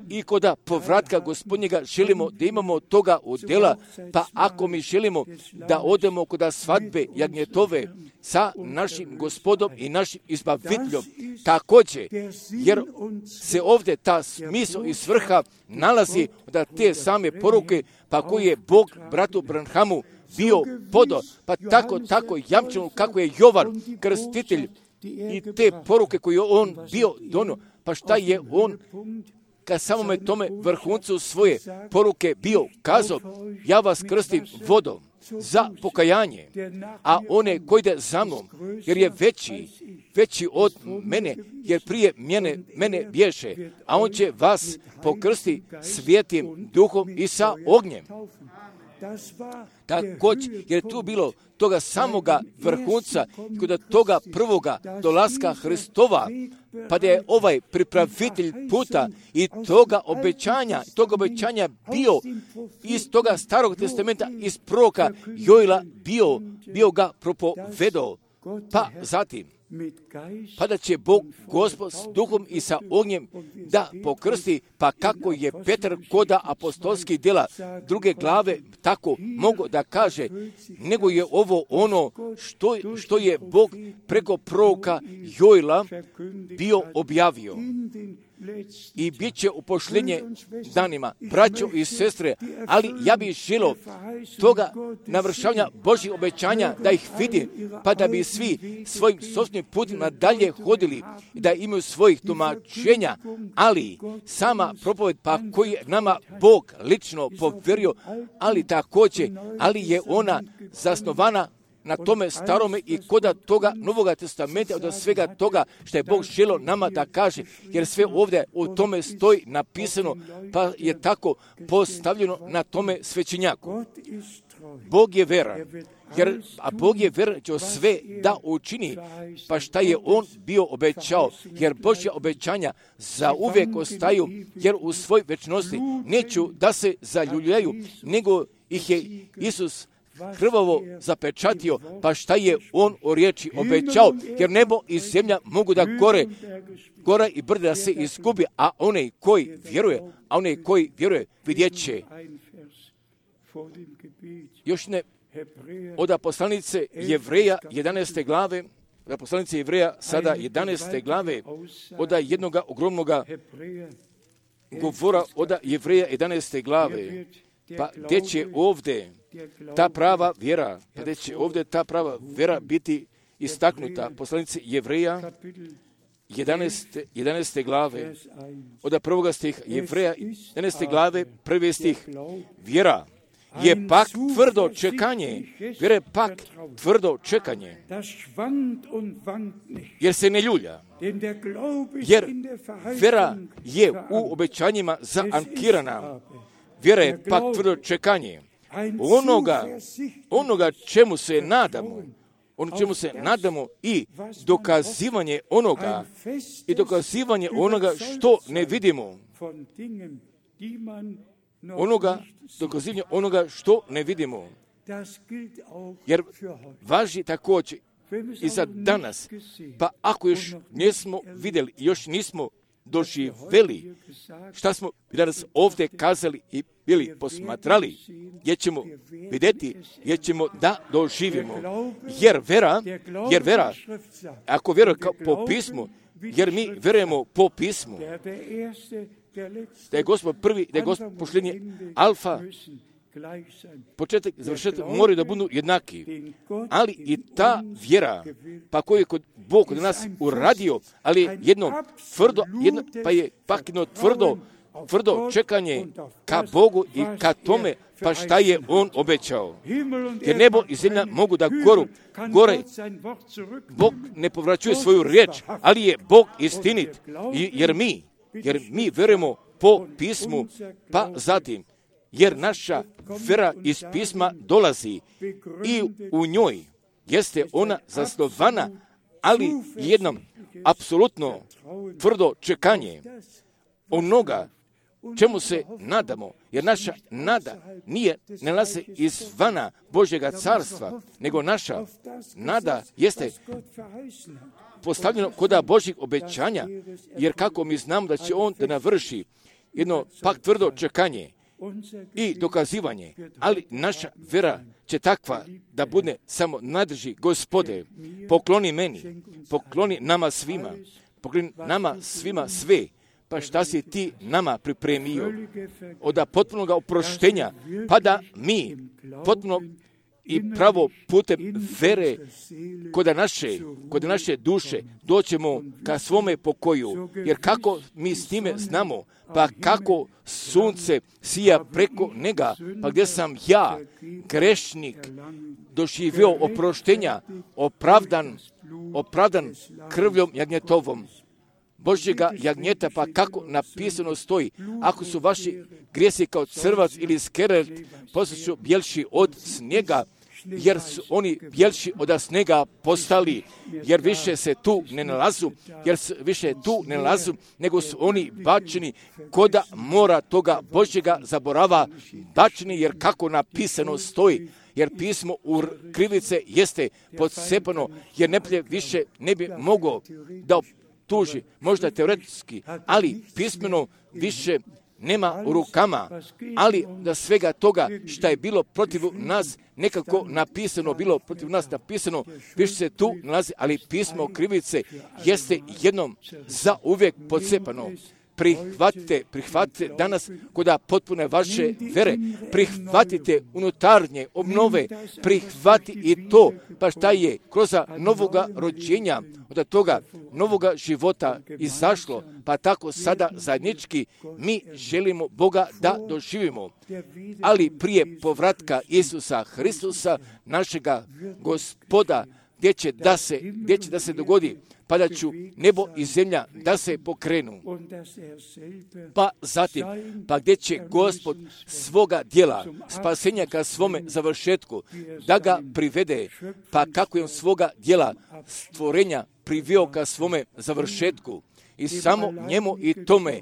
i kod povratka Gospodnjega želimo da imamo toga udjela, pa ako mi želimo da odemo kod svadbe jagnjetove sa našim Gospodom i našim izbaviteljom, također, jer se ovdje ta smisao i svrha nalazi da te same poruke, pa koji je Bog bratu Branhamu bio podao, pa tako jamčeno kako je Jovan krstitelj i te poruke koje on bio donio, pa šta je on ka samome tome vrhuncu svoje poruke bio kazao, ja vas krstim vodom za pokajanje, a one koji ide za mnom, jer je veći od mene, jer prije mene bježe, a on će vas pokrsti svijetim duhom i sa ognjem. Također, jer je tu bilo toga samoga vrhunca, kod toga prvoga dolaska Hristova, pa da je ovaj pripravitelj puta i toga obećanja bio iz toga starog testamenta, iz proroka Joela bio ga propovedao. Pa zatim, pa da će Bog Gospod s duhom i sa ognjem da pokrsti, pa kako je Petar koda apostolskih djela 2. glave tako mogu da kaže, nego je ovo ono što je Bog preko proroka Joela bio objavio. I bit će u pošljenje danima, braćo i sestre, ali ja bih želio toga navršavanja Božjih obećanja da ih vidim, pa da bi svi svojim sopstvenim putima dalje hodili i da imaju svojih tumačenja, ali sama propoved pa koji je nama Bog lično povjerio, ali također, ali je ona zasnovana na tome starome i koda toga Novoga testamenta, od svega toga što je Bog želio nama da kaže, jer sve ovdje u tome stoji napisano, pa je tako postavljeno na tome svećenjaku. Bog je veran, a Bog je veran će sve da učini, pa šta je On bio obećao, jer Božja obećanja za uvijek ostaju, jer u svoj večnosti neću da se zaljuljaju, nego ih je Isus krvavo zapečatio, pa šta je on o riječi obećao, jer nebo i zemlja mogu da gora i brda da se izgubi, a onaj koji vjeruje vidjet će. Još ne od poslanice Jevreja 11. glave, poslanice Jevreja sada 11. glave, od jednog ogromnog govora od Jevreja 11. glave, pa gdje će ovdje ta prava vjera biti istaknuta. Poslanice Jevreja 11. glave, od prvoga stiha, Jevreja 11. glave, prvi stih, vjera je pak tvrdo čekanje, jer se ne ljulja, jer vjera je u obećanjima zaankirana. Vjera je pak tvrdo čekanje onoga čemu se nadamo, i dokazivanje onoga što ne vidimo. Dokazivanje onoga što ne vidimo. Jer važi također i za danas, pa ako još nismo vidjeli, još nismo doživjeli šta smo danas ovdje kazali i bili posmatrali, gdje ćemo vidjeti, gdje ćemo da doživimo. Jer vera, ako vjerujemo po pismu, jer mi vjerujemo po pismu, da je Gospod prvi, da je Gospod posljednji, alfa, početak, završetak moraju da budu jednaki. Ali i ta vjera, pa koju je Bog kod nas uradio, ali jedno tvrdo čekanje ka Bogu i ka tome, pa šta je On obećao. Jer nebo i zemlja mogu da gore. Bog ne povraćuje svoju riječ, ali je Bog istinit. Jer mi verujemo po pismu, pa zatim, jer naša vjera iz pisma dolazi i u njoj jeste ona zasnovana, ali jednom apsolutno tvrdo čekanje onoga čemu se nadamo, Jer naša nada ne nalazi izvana Božjega carstva, nego naša nada jeste postavljeno kod Božjih obećanja, jer kako mi znamo da će On da navrši jedno pak tvrdo čekanje i dokazivanje, ali naša vera će takva da bude samo nadrži Gospode, pokloni meni, pokloni nama svima sve, pa šta si ti nama pripremio od potpunog oproštenja, pa da mi potpuno i pravo putem vere kod naše duše doćemo ka svome pokoju, jer kako mi s time znamo, pa kako sunce sija preko njega, pa gdje sam ja, grešnik, doživio oproštenja, opravdan krvljom jagnjetovom, Božjega jagnjeta, pa kako napisano stoji, ako su vaši grijesi kao crvac ili skerlet, postaću bjelši od snijega, jer su oni bjelši od snijega postali, jer više se tu ne nalazu, nego su oni bačeni koda mora toga Božjega zaborava bačeni, jer kako napisano stoji, jer pismo u krivice jeste podsepano, jer neprijatelj više ne bi mogao da tuži, možda teoretski, ali pismeno više nema u rukama, ali da svega toga što je bilo protiv nas nekako napisano, više se tu nalazi, ali pismo krivice jeste jednom za uvijek podsepano. Prihvatite danas kod potpune vaše vere, prihvatite unutarnje obnove, prihvati i to, pa šta je kroz novoga rođenja, od toga novoga života izašlo, pa tako sada zajednički mi želimo Boga da doživimo. Ali prije povratka Isusa Hristusa, našega Gospoda, gdje će da se dogodi, pa da ću nebo i zemlja da se pokrenu. Pa zatim, pa gdje će Gospod svoga djela, spasenja ka svome završetku, da ga privede, pa kako je on svoga djela stvorenja priveo ka svome završetku. I samo njemu i tome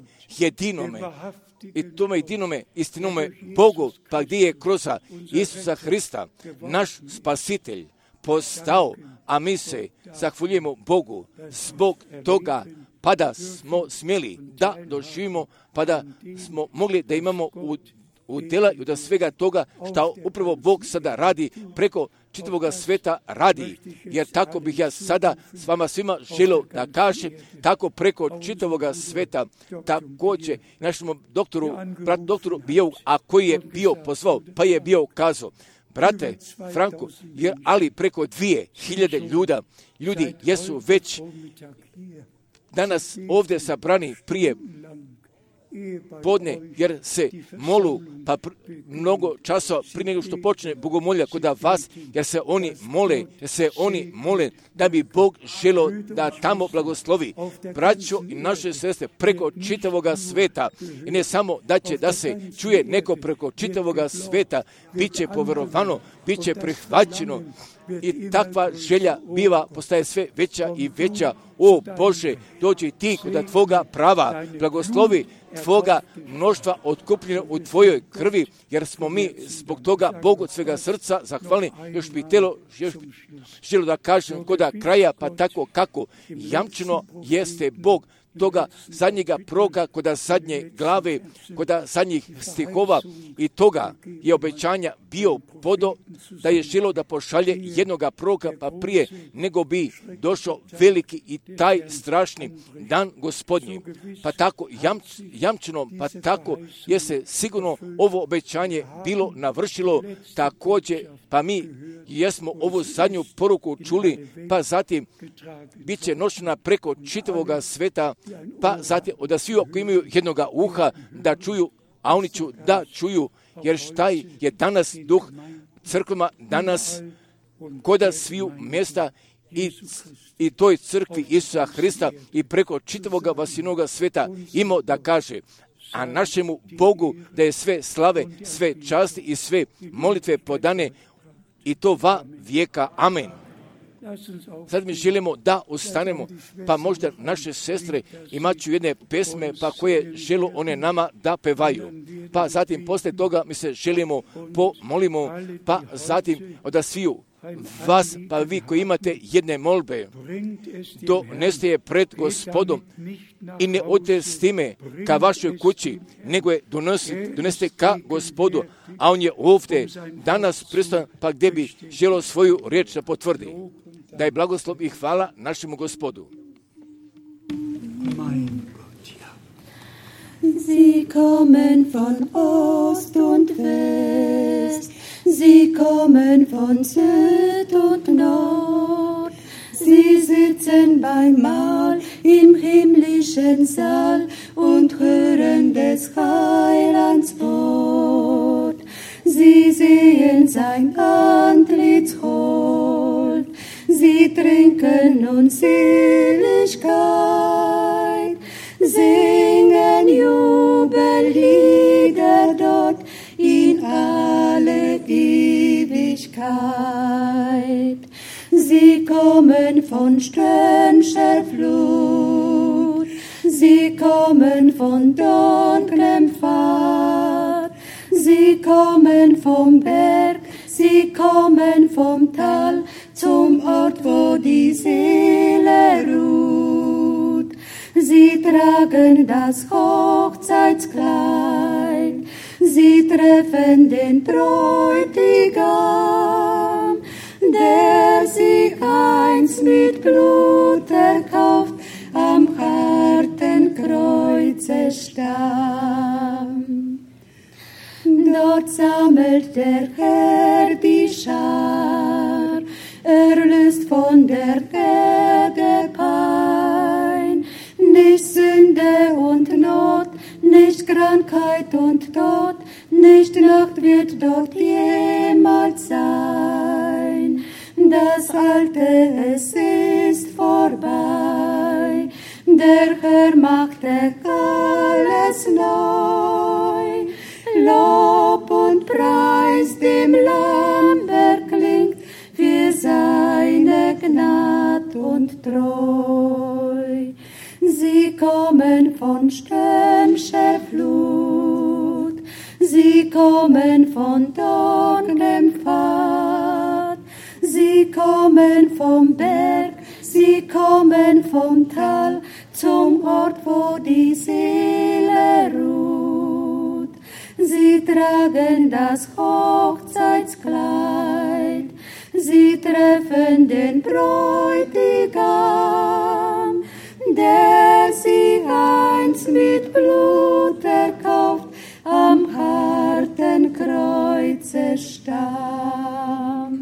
jedinome istinome Bogu, pa gdje je kroz Isusa Hrista, naš spasitelj, postao, a mi se zahvaljujemo Bogu zbog toga, pa da smo smjeli da doživimo, pa da smo mogli da imamo u djela i od svega toga što upravo Bog sada radi preko čitavoga sveta radi. Jer tako bih ja sada s vama svima želio da kažem, tako preko čitavoga sveta, također našemu doktoru Bijou, a koji je bio pozvao, pa je bio kazao, brate Franko, ali preko 2000 ljudi jesu već danas ovdje sabrani prije podne, jer se molu, pa mnogo časa prije nego što počne bogomolja kod vas, jer se oni mole da bi Bog želio da tamo blagoslovi braćo i naše sestre preko čitavoga sveta. I ne samo da će da se čuje neko preko čitavoga sveta, bit će poverovano, bit će prihvaćeno. I takva želja postaje sve veća i veća. O Bože, dođi ti kod Tvoga prava, blagoslovi Tvoga mnoštva otkupljeno u Tvojoj krvi, jer smo mi zbog toga Bogu od svega srca zahvalni. Još bi želio da kažem kod kraja, pa tako kako jamčeno jeste Bog toga zadnjega proga, kod zadnje glave, kod zadnjih stihova, i toga je obećanja bio podo da je želio da pošalje jednoga proga, pa prije nego bi došao veliki i taj strašni dan Gospodnji. Pa tako jamčeno, pa tako je se sigurno ovo obećanje bilo navršilo također, pa mi jesmo ovu zadnju poruku čuli, pa zatim bit će nošena preko čitavoga sveta, pa zatim od svih koji imaju jednoga uha da čuju, a oni ću da čuju, jer šta je danas duh crkvama, danas koda sviju mjesta i toj crkvi Isusa Hrista i preko čitavoga vasinoga sveta imao da kaže, a našemu Bogu da je sve slave, sve časti i sve molitve podane, i to va vijeka. Amen. Sad mi želimo da ostanemo, pa možda naše sestre imat ću jedne pesme, pa koje žele one nama da pevaju. Pa zatim posle toga mi se želimo pomolimo, pa zatim da sviju vas, pa vi koji imate jedne molbe, doneste je pred Gospodom i ne odete s time ka vašoj kući, nego je donesete ka Gospodu, a on je ovdje danas prisutan, pa gdje bi želio svoju riječ da potvrdi. Da je blagoslov i hvala našemu Gospodu. Sie kommen von Ost und West, sie kommen von Süd und Nord, sie sitzen beim Mahl im himmlischen Saal und hören des Heilands Wort. Sie sehen sein Antlitz hold, sie trinken nun Seligkeit, singen Jubellieder dort in alle Ewigkeit. Sie kommen von strömscher Flut, sie kommen von dunklem Pfad, sie kommen vom Berg, sie kommen vom Tal zum Ort, wo die Seele ruht. Sie tragen das Hochzeitskleid, sie treffen den Bräutigam, der sie einst mit Blut erkauft, am harten Kreuze starb. Dort sammelt der Herr die Schar, erlöst von der Erde Pein, nicht Sünde und Not, nicht Krankheit und Tod, nicht Nacht wird dort jemals sein. Das Alte, es ist vorbei, der Herr machte alles neu. Lob und Preis dem Lamm erklingt für seine Gnad und Treu. Sie kommen von stürmischer Flut, sie kommen von dunklem Pfad, sie kommen vom Berg, sie kommen vom Tal zum Ort, wo die Seele ruht. Sie tragen das Hochzeitskleid, sie treffen den Bräutigam, der sie einst mit Blut erkauft, am harten Kreuze starb.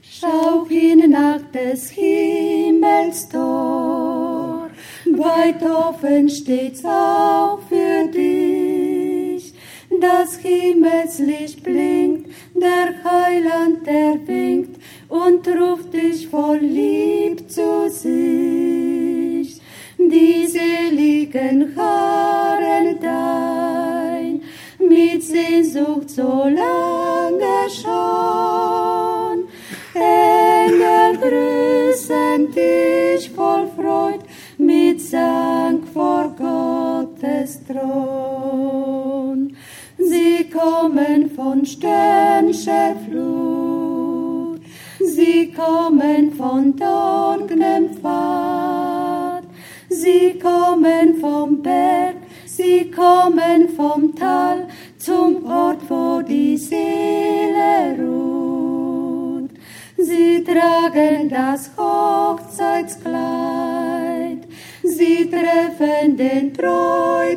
Schau hin nach des Himmels Tor, weit offen steht's auch für dich. Das Himmelslicht blinkt, der Heiland, der winkt und ruft dich voll Lieb zu sich. Die seligen harren dein, mit Sehnsucht so lange schon. Engel grüßen dich voll Freud, mit Sang vor Gottes Thron. Sie kommen von stürmischer Flut, sie kommen von dunklem Pfad, sie kommen vom Berg, sie kommen vom Tal zum Ort, wo die Seele ruht. Sie tragen das Hochzeitskleid, sie treffen den Bräutigam,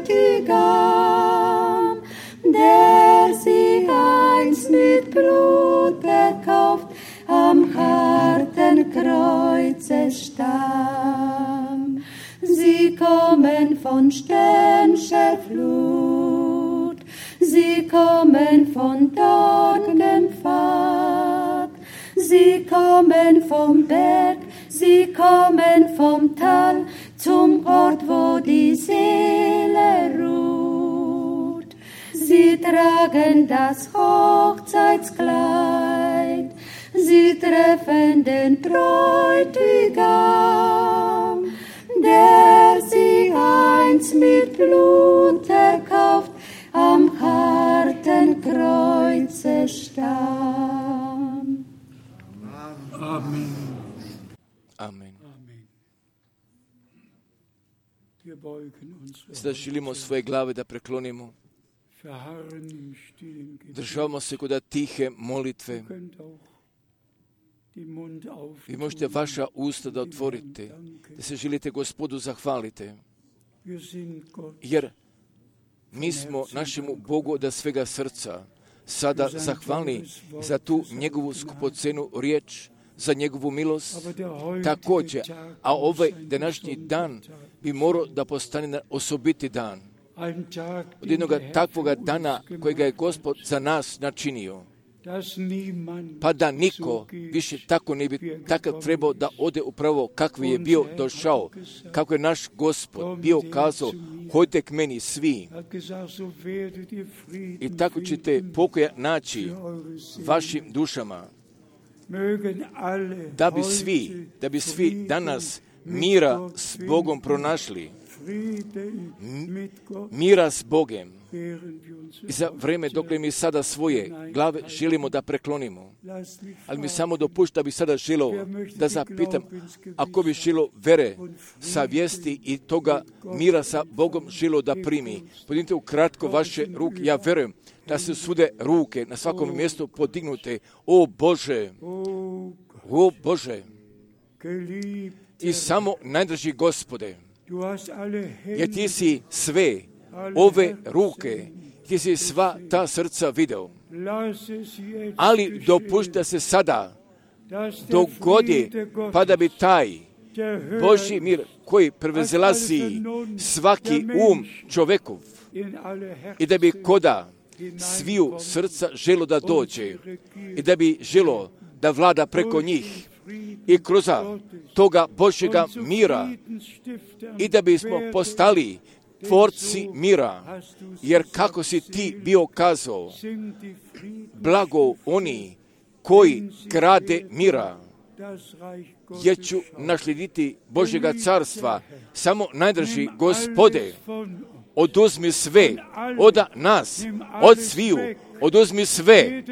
der sie einst mit Blut erkauft, am harten Kreuze starb. Sie kommen von stürmischer Flut, sie kommen von dunklem Pfad, sie kommen vom Berg, sie kommen vom Tal zum Ort, wo die Seele ruht. Sie tragen das Hochzeitskleid, sie treffen den Bräutigam, der sie einst mit Blut erkauft, am harten Kreuze starb. Amen. Amen. Wir beugen uns. Sada želimo svoje glave da preklonimo. Verharren im stillen Gebet. Državamo se kod tihe molitve. Könnt auch die Mund auftun. Vi možete vaša usta da otvorite, da se želite Gospodu zahvalite. Wir sind Gott. Jer mi smo našemu Bogu od svega srca sada zahvalni za tu njegovu skupocenu riječ, za njegovu milost također. A ovaj današnji dan bi morao da postane osobiti dan. Od jednog takvoga dana kojega je Gospod za nas načinio. Pa da niko više tako ne bi takav trebao da ode upravo kakvi je bio došao, kako je naš Gospod bio kazao, hojte k meni svi i tako ćete pokoja naći vašim dušama, da bi svi danas mira s Bogom pronašli, mira s Bogem. I za vreme dok mi sada svoje glave želimo da preklonimo. Ali mi samo dopušta da bi sada želio da zapitam, ako bi želio vere, savjesti i toga mira sa Bogom želio da primi. Podignite ukratko vaše ruke, ja verujem da se svude ruke na svakom mjestu podignute. O Bože, o Bože, i samo najdraži Gospode, jer ti si sve ove ruke, ti si sva ta srca video. Ali dopušta se sada dogodi, pa da bi taj Božji mir koji prevazilazi svaki čovjekov i da bi koda sviju srca želo da dođe i da bi želo da vlada preko njih i kroz toga Božjega mira i da bismo postali tvorci mira, jer kako si ti bio kazao, blago oni koji grade mira, jer ću naslijediti Božjega carstva. Samo najdraži Gospode, oduzmi sve od nas, od sviju, oduzmi sve,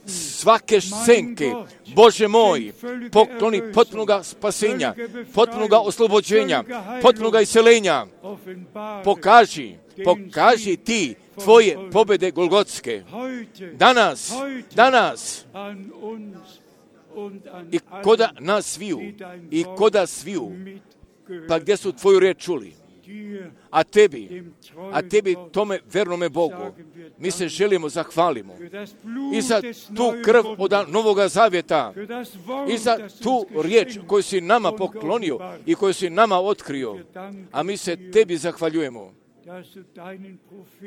svake senke, Bože moj, pokloni potpunoga spasenja, potpunoga oslobođenja, potpunoga iseljenja. Pokaži ti tvoje pobjede golgotske. Danas, i koda nas sviju, pa gdje su tvoju riječ čuli? A tebi tome vernome Bogu mi se želimo zahvalimo i za tu krv od Novoga Zavjeta i za tu riječ koju si nama poklonio i koju si nama otkrio, a mi se tebi zahvaljujemo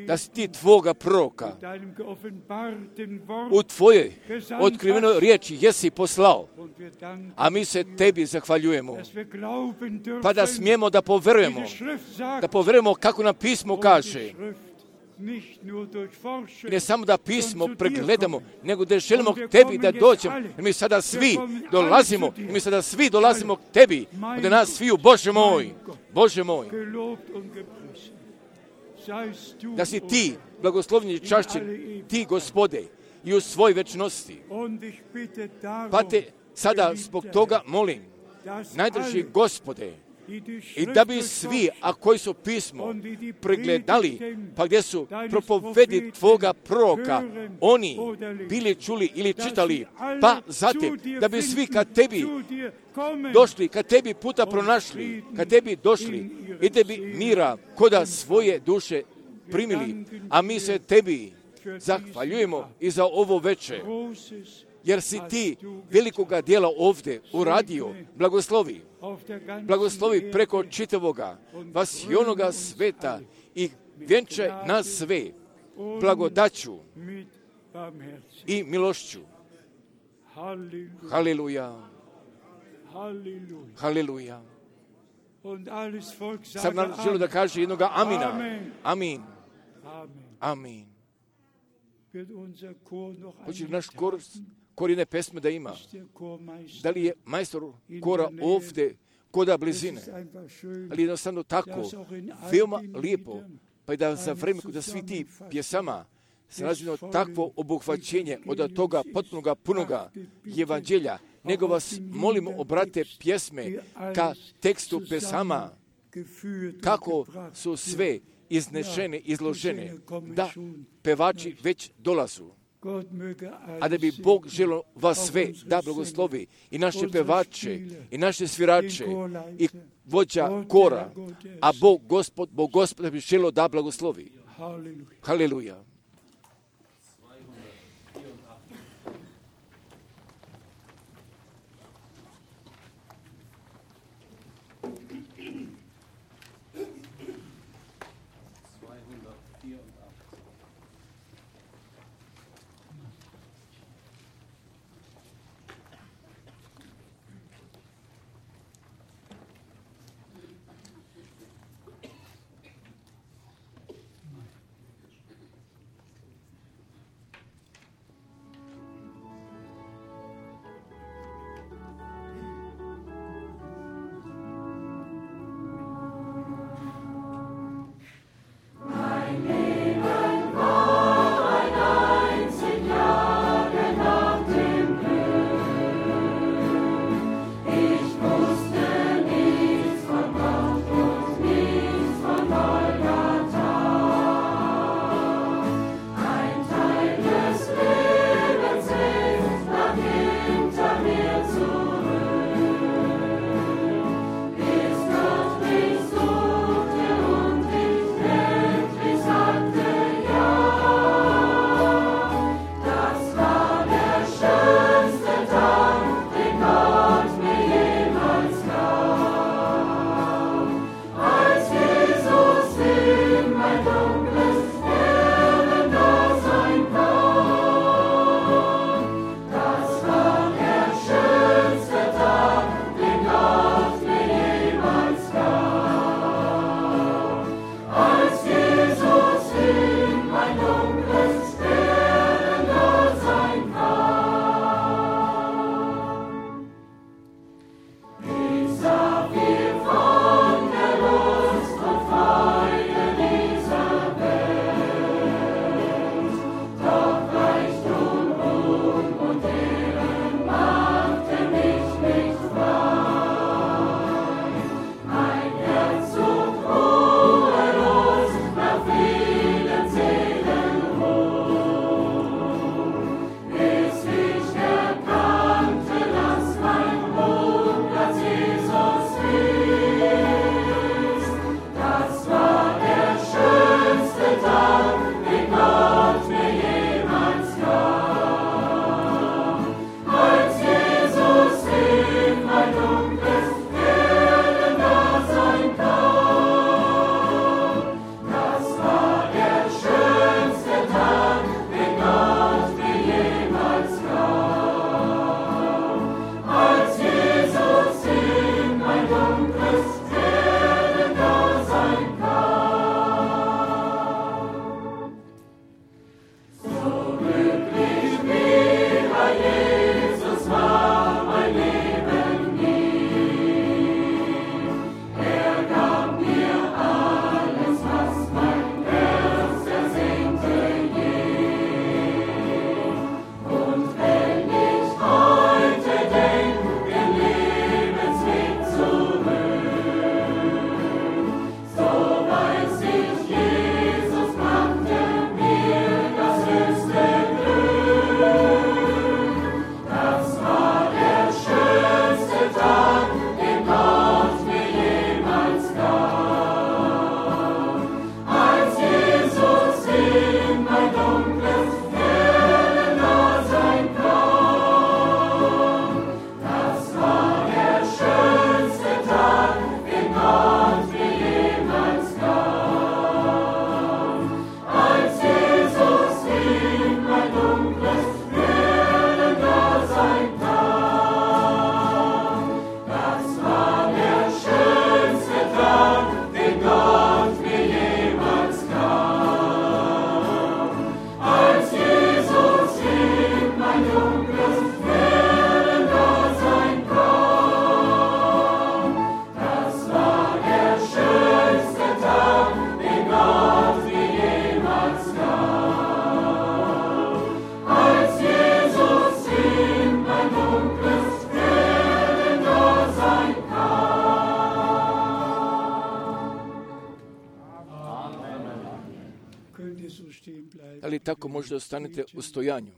da si ti tvoga proroka u tvoje otkrivenoj riječi jesi poslao, a mi se tebi zahvaljujemo, pa da smijemo da poverujemo kako nam pismo kaže. I ne samo da pismo pregledamo, nego da želimo k tebi da dođemo. I mi sada svi dolazimo k tebi, od nas sviju, Bože moj, da si ti blagoslovljen i čašćen, ti Gospode, i u svoj večnosti. Pa te sada zbog toga molim, najdraži Gospode, i da bi svi, a koji su pismo pregledali, pa gdje su propovedi tvoga proroka, oni bili čuli ili čitali, pa zatim da bi svi kad tebi došli, kad tebi puta pronašli, kad tebi došli i da bi mira koda svoje duše primili, a mi se tebi zahvaljujemo i za ovo večer, jer si ti velikoga dijela ovdje uradio. Blagoslovi preko čitavoga vasionoga sveta i vjenčaj nas sve blagodaću i milošću. Haleluja. Haleluja. Sad nam želim da kaže jednoga amina. Amin. Amin. Hoće naš korine pesme da ima. Da li je majstor kora ovdje koda blizine? Ali jednostavno tako, veoma lijepo, pa i da za vreme da svi ti pjesama se razvijeno takvo obuhvaćenje od toga potpunoga, punoga evanđelja, nego vas molimo, obrate pjesme ka tekstu pesama, kako su sve iznešene, izložene, da pevači već dolazu. A da bi Bog želio vas sve da blagoslovi, i naše pevače, i naše svirače, i vođa kora, a Bog Gospod bi želio da blagoslovi. Haleluja. Da li tako možda ostanete u stojanju?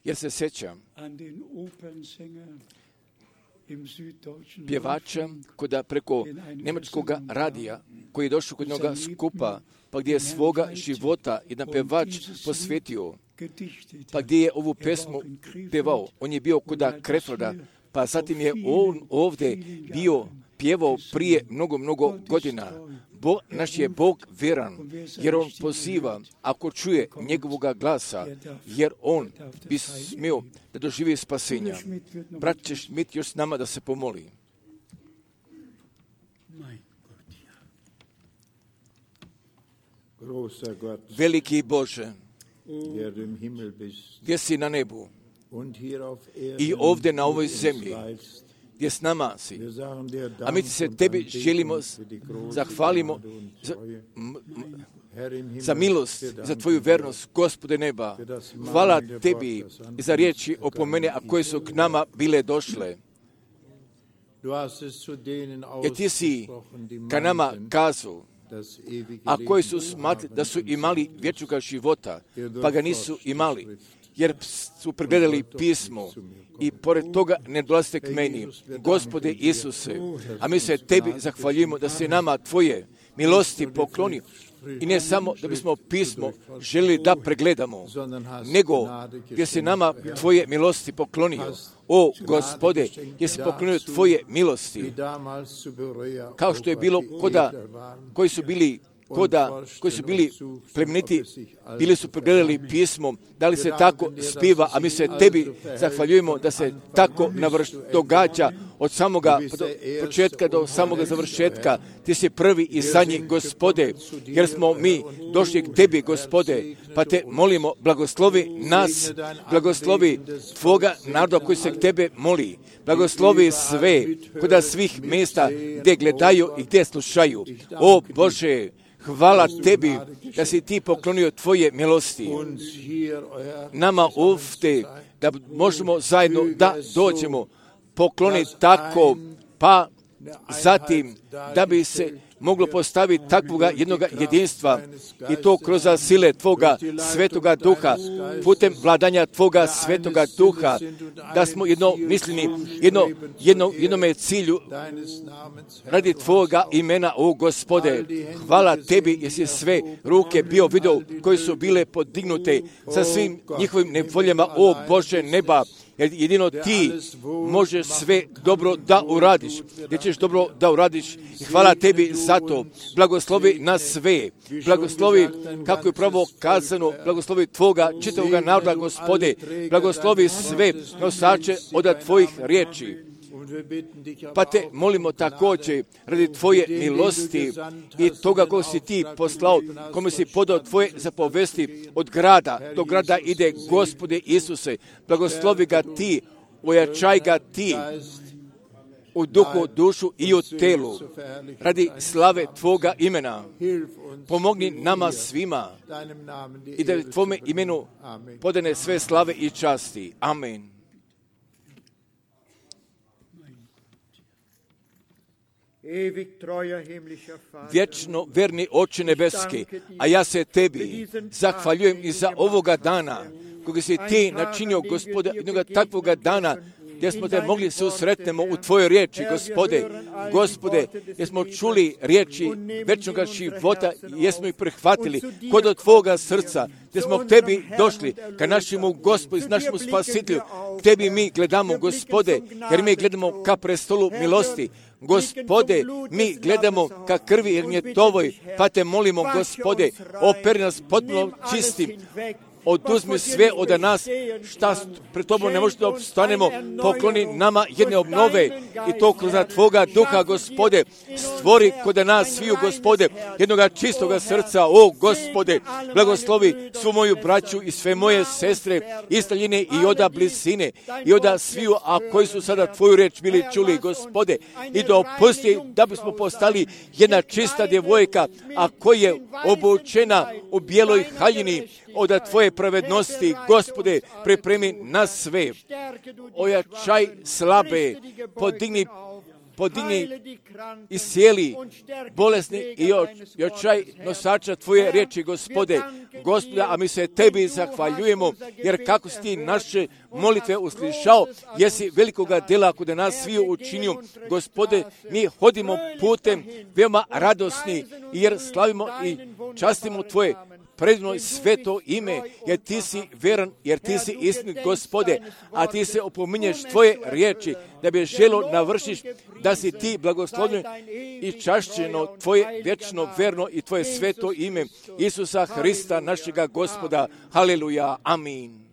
Jer se sjećam pjevača koda preko njemačkog radija koji je došao kod njega skupa, pa gdje je svoga života jedan pjevač posvetio, pa gdje je ovu pesmu pjevao. On je bio koda Krefroda, pa zatim je on ovdje bio pjevao prije mnogo godina. Naš je Bog vjeran, jer on poziva, ako čuje njegovoga glasa, jer on bi smio da doživi spasenja. Brat će Schmidt još s nama da se pomoli. Veliki Bože, gdje si na nebu i ovdje na ovoj zemlji, gdje s nama si. A mi se tebi želimo, zahvalimo za milost, za tvoju vernost, Gospode neba. Hvala tebi za riječi opomene, a koje su k nama bile došle. Jer ti si ka nama kazao, a koji su smatrali da su imali vječnoga života, pa ga nisu imali, jer su pregledali pismo i pored toga ne dolazite k meni, Gospode Isuse, a mi se tebi zahvaljujemo da se nama tvoje milosti pokloni. I ne samo da bismo pismo želili da pregledamo, nego gdje se nama tvoje milosti poklonio. O Gospode, gdje si poklonio tvoje milosti, kao što je bilo koji su bili plemeniti, bili su pregledali pismo, da li se tako spiva, a mi se tebi zahvaljujemo da se tako događa od samoga početka do samoga završetka. Ti si prvi i zadnji, Gospode, jer smo mi došli k tebi, Gospode, pa te molimo, blagoslovi nas, blagoslovi tvoga naroda koji se k tebe moli, blagoslovi sve, kod svih mjesta gdje gledaju i gdje slušaju. O Bože, hvala tebi da si ti poklonio tvoje milosti nama ovdje, da možemo zajedno da dođemo pokloniti tako, pa zatim da bi se moglo postaviti takvoga jednoga jedinstva i to kroz sile tvoga svetoga duha, putem vladanja tvoga svetoga duha, da smo jednomisleni, jednome cilju radi tvoga imena, o Gospode. Hvala tebi jer si sve ruke bio vidio koje su bile podignute sa svim njihovim nevoljama, o Bože neba. Jer jedino ti možeš sve dobro da uradiš. Gdje ćeš dobro da uradiš. I hvala tebi za to. Blagoslovi nas sve. Blagoslovi, kako je pravo kazano, blagoslovi tvoga čitavoga naroda, Gospode. Blagoslovi sve nosače od tvojih riječi. Pa te molimo također radi tvoje milosti i toga kog si ti poslao, kome si podao tvoje zapovesti od grada do grada ide, Gospode Isuse, blagoslovi ga ti, ojačaj ga ti u duhu, dušu i u telu, radi slave tvoga imena. Pomogni nama svima i da tvome imenu podane sve slave i časti. Amen. Vječno verni Oče nebeski, a ja se tebi zahvaljujem i za ovoga dana, koga si ti načinio, Gospode, jednoga takvoga dana, gdje smo te mogli se usretnemo u tvojoj riječi, Gospode, gdje smo čuli riječi večnog života, jesmo ih prihvatili kod od tvoga srca, gdje smo k tebi došli, ka našemu Gospodu, našemu Spasitelju, k tebi mi gledamo, Gospode, jer mi gledamo ka prestolu milosti. Gospode, mi gledamo ka krvi Ernjetovoj, pa te molimo, Gospode, operi nas potpuno čistim, oduzmi sve od nas, šta pred tobom ne možemo da obstanemo, pokloni nama jedne obnove i to kroz tvoga duha, Gospode, stvori kod nas sviju, Gospode, jednoga čistoga srca, o Gospode, blagoslovi svu moju braću i sve moje sestre, iz daljine i oda blizine, i oda sviju, a koji su sada tvoju reč bili čuli, Gospode, i da opusti da bismo postali jedna čista djevojka, a koja je obučena u bijeloj haljini od tvoje pravednosti, Gospode, pripremi nas sve. Ojačaj slabe, podigni podigni i sjeli bolesni i očaj nosača Tvoje riječi, Gospode, a mi se Tebi zahvaljujemo, jer kako si Ti naše molitve uslišao, jesi velikoga dela kod nas svi učinio. Gospode, mi hodimo putem veoma radosni, jer slavimo i častimo Tvoje predivno i sveto ime, jer Ti si veran, jer Ti si istinit, Gospode, a Ti se opominješ Tvoje riječi, da bi želo navršiš, da si Ti blagoslovljen i čašćeno Tvoje vječno, verno i Tvoje sveto ime, Isusa Hrista, našega Gospoda. Haleluja, amin.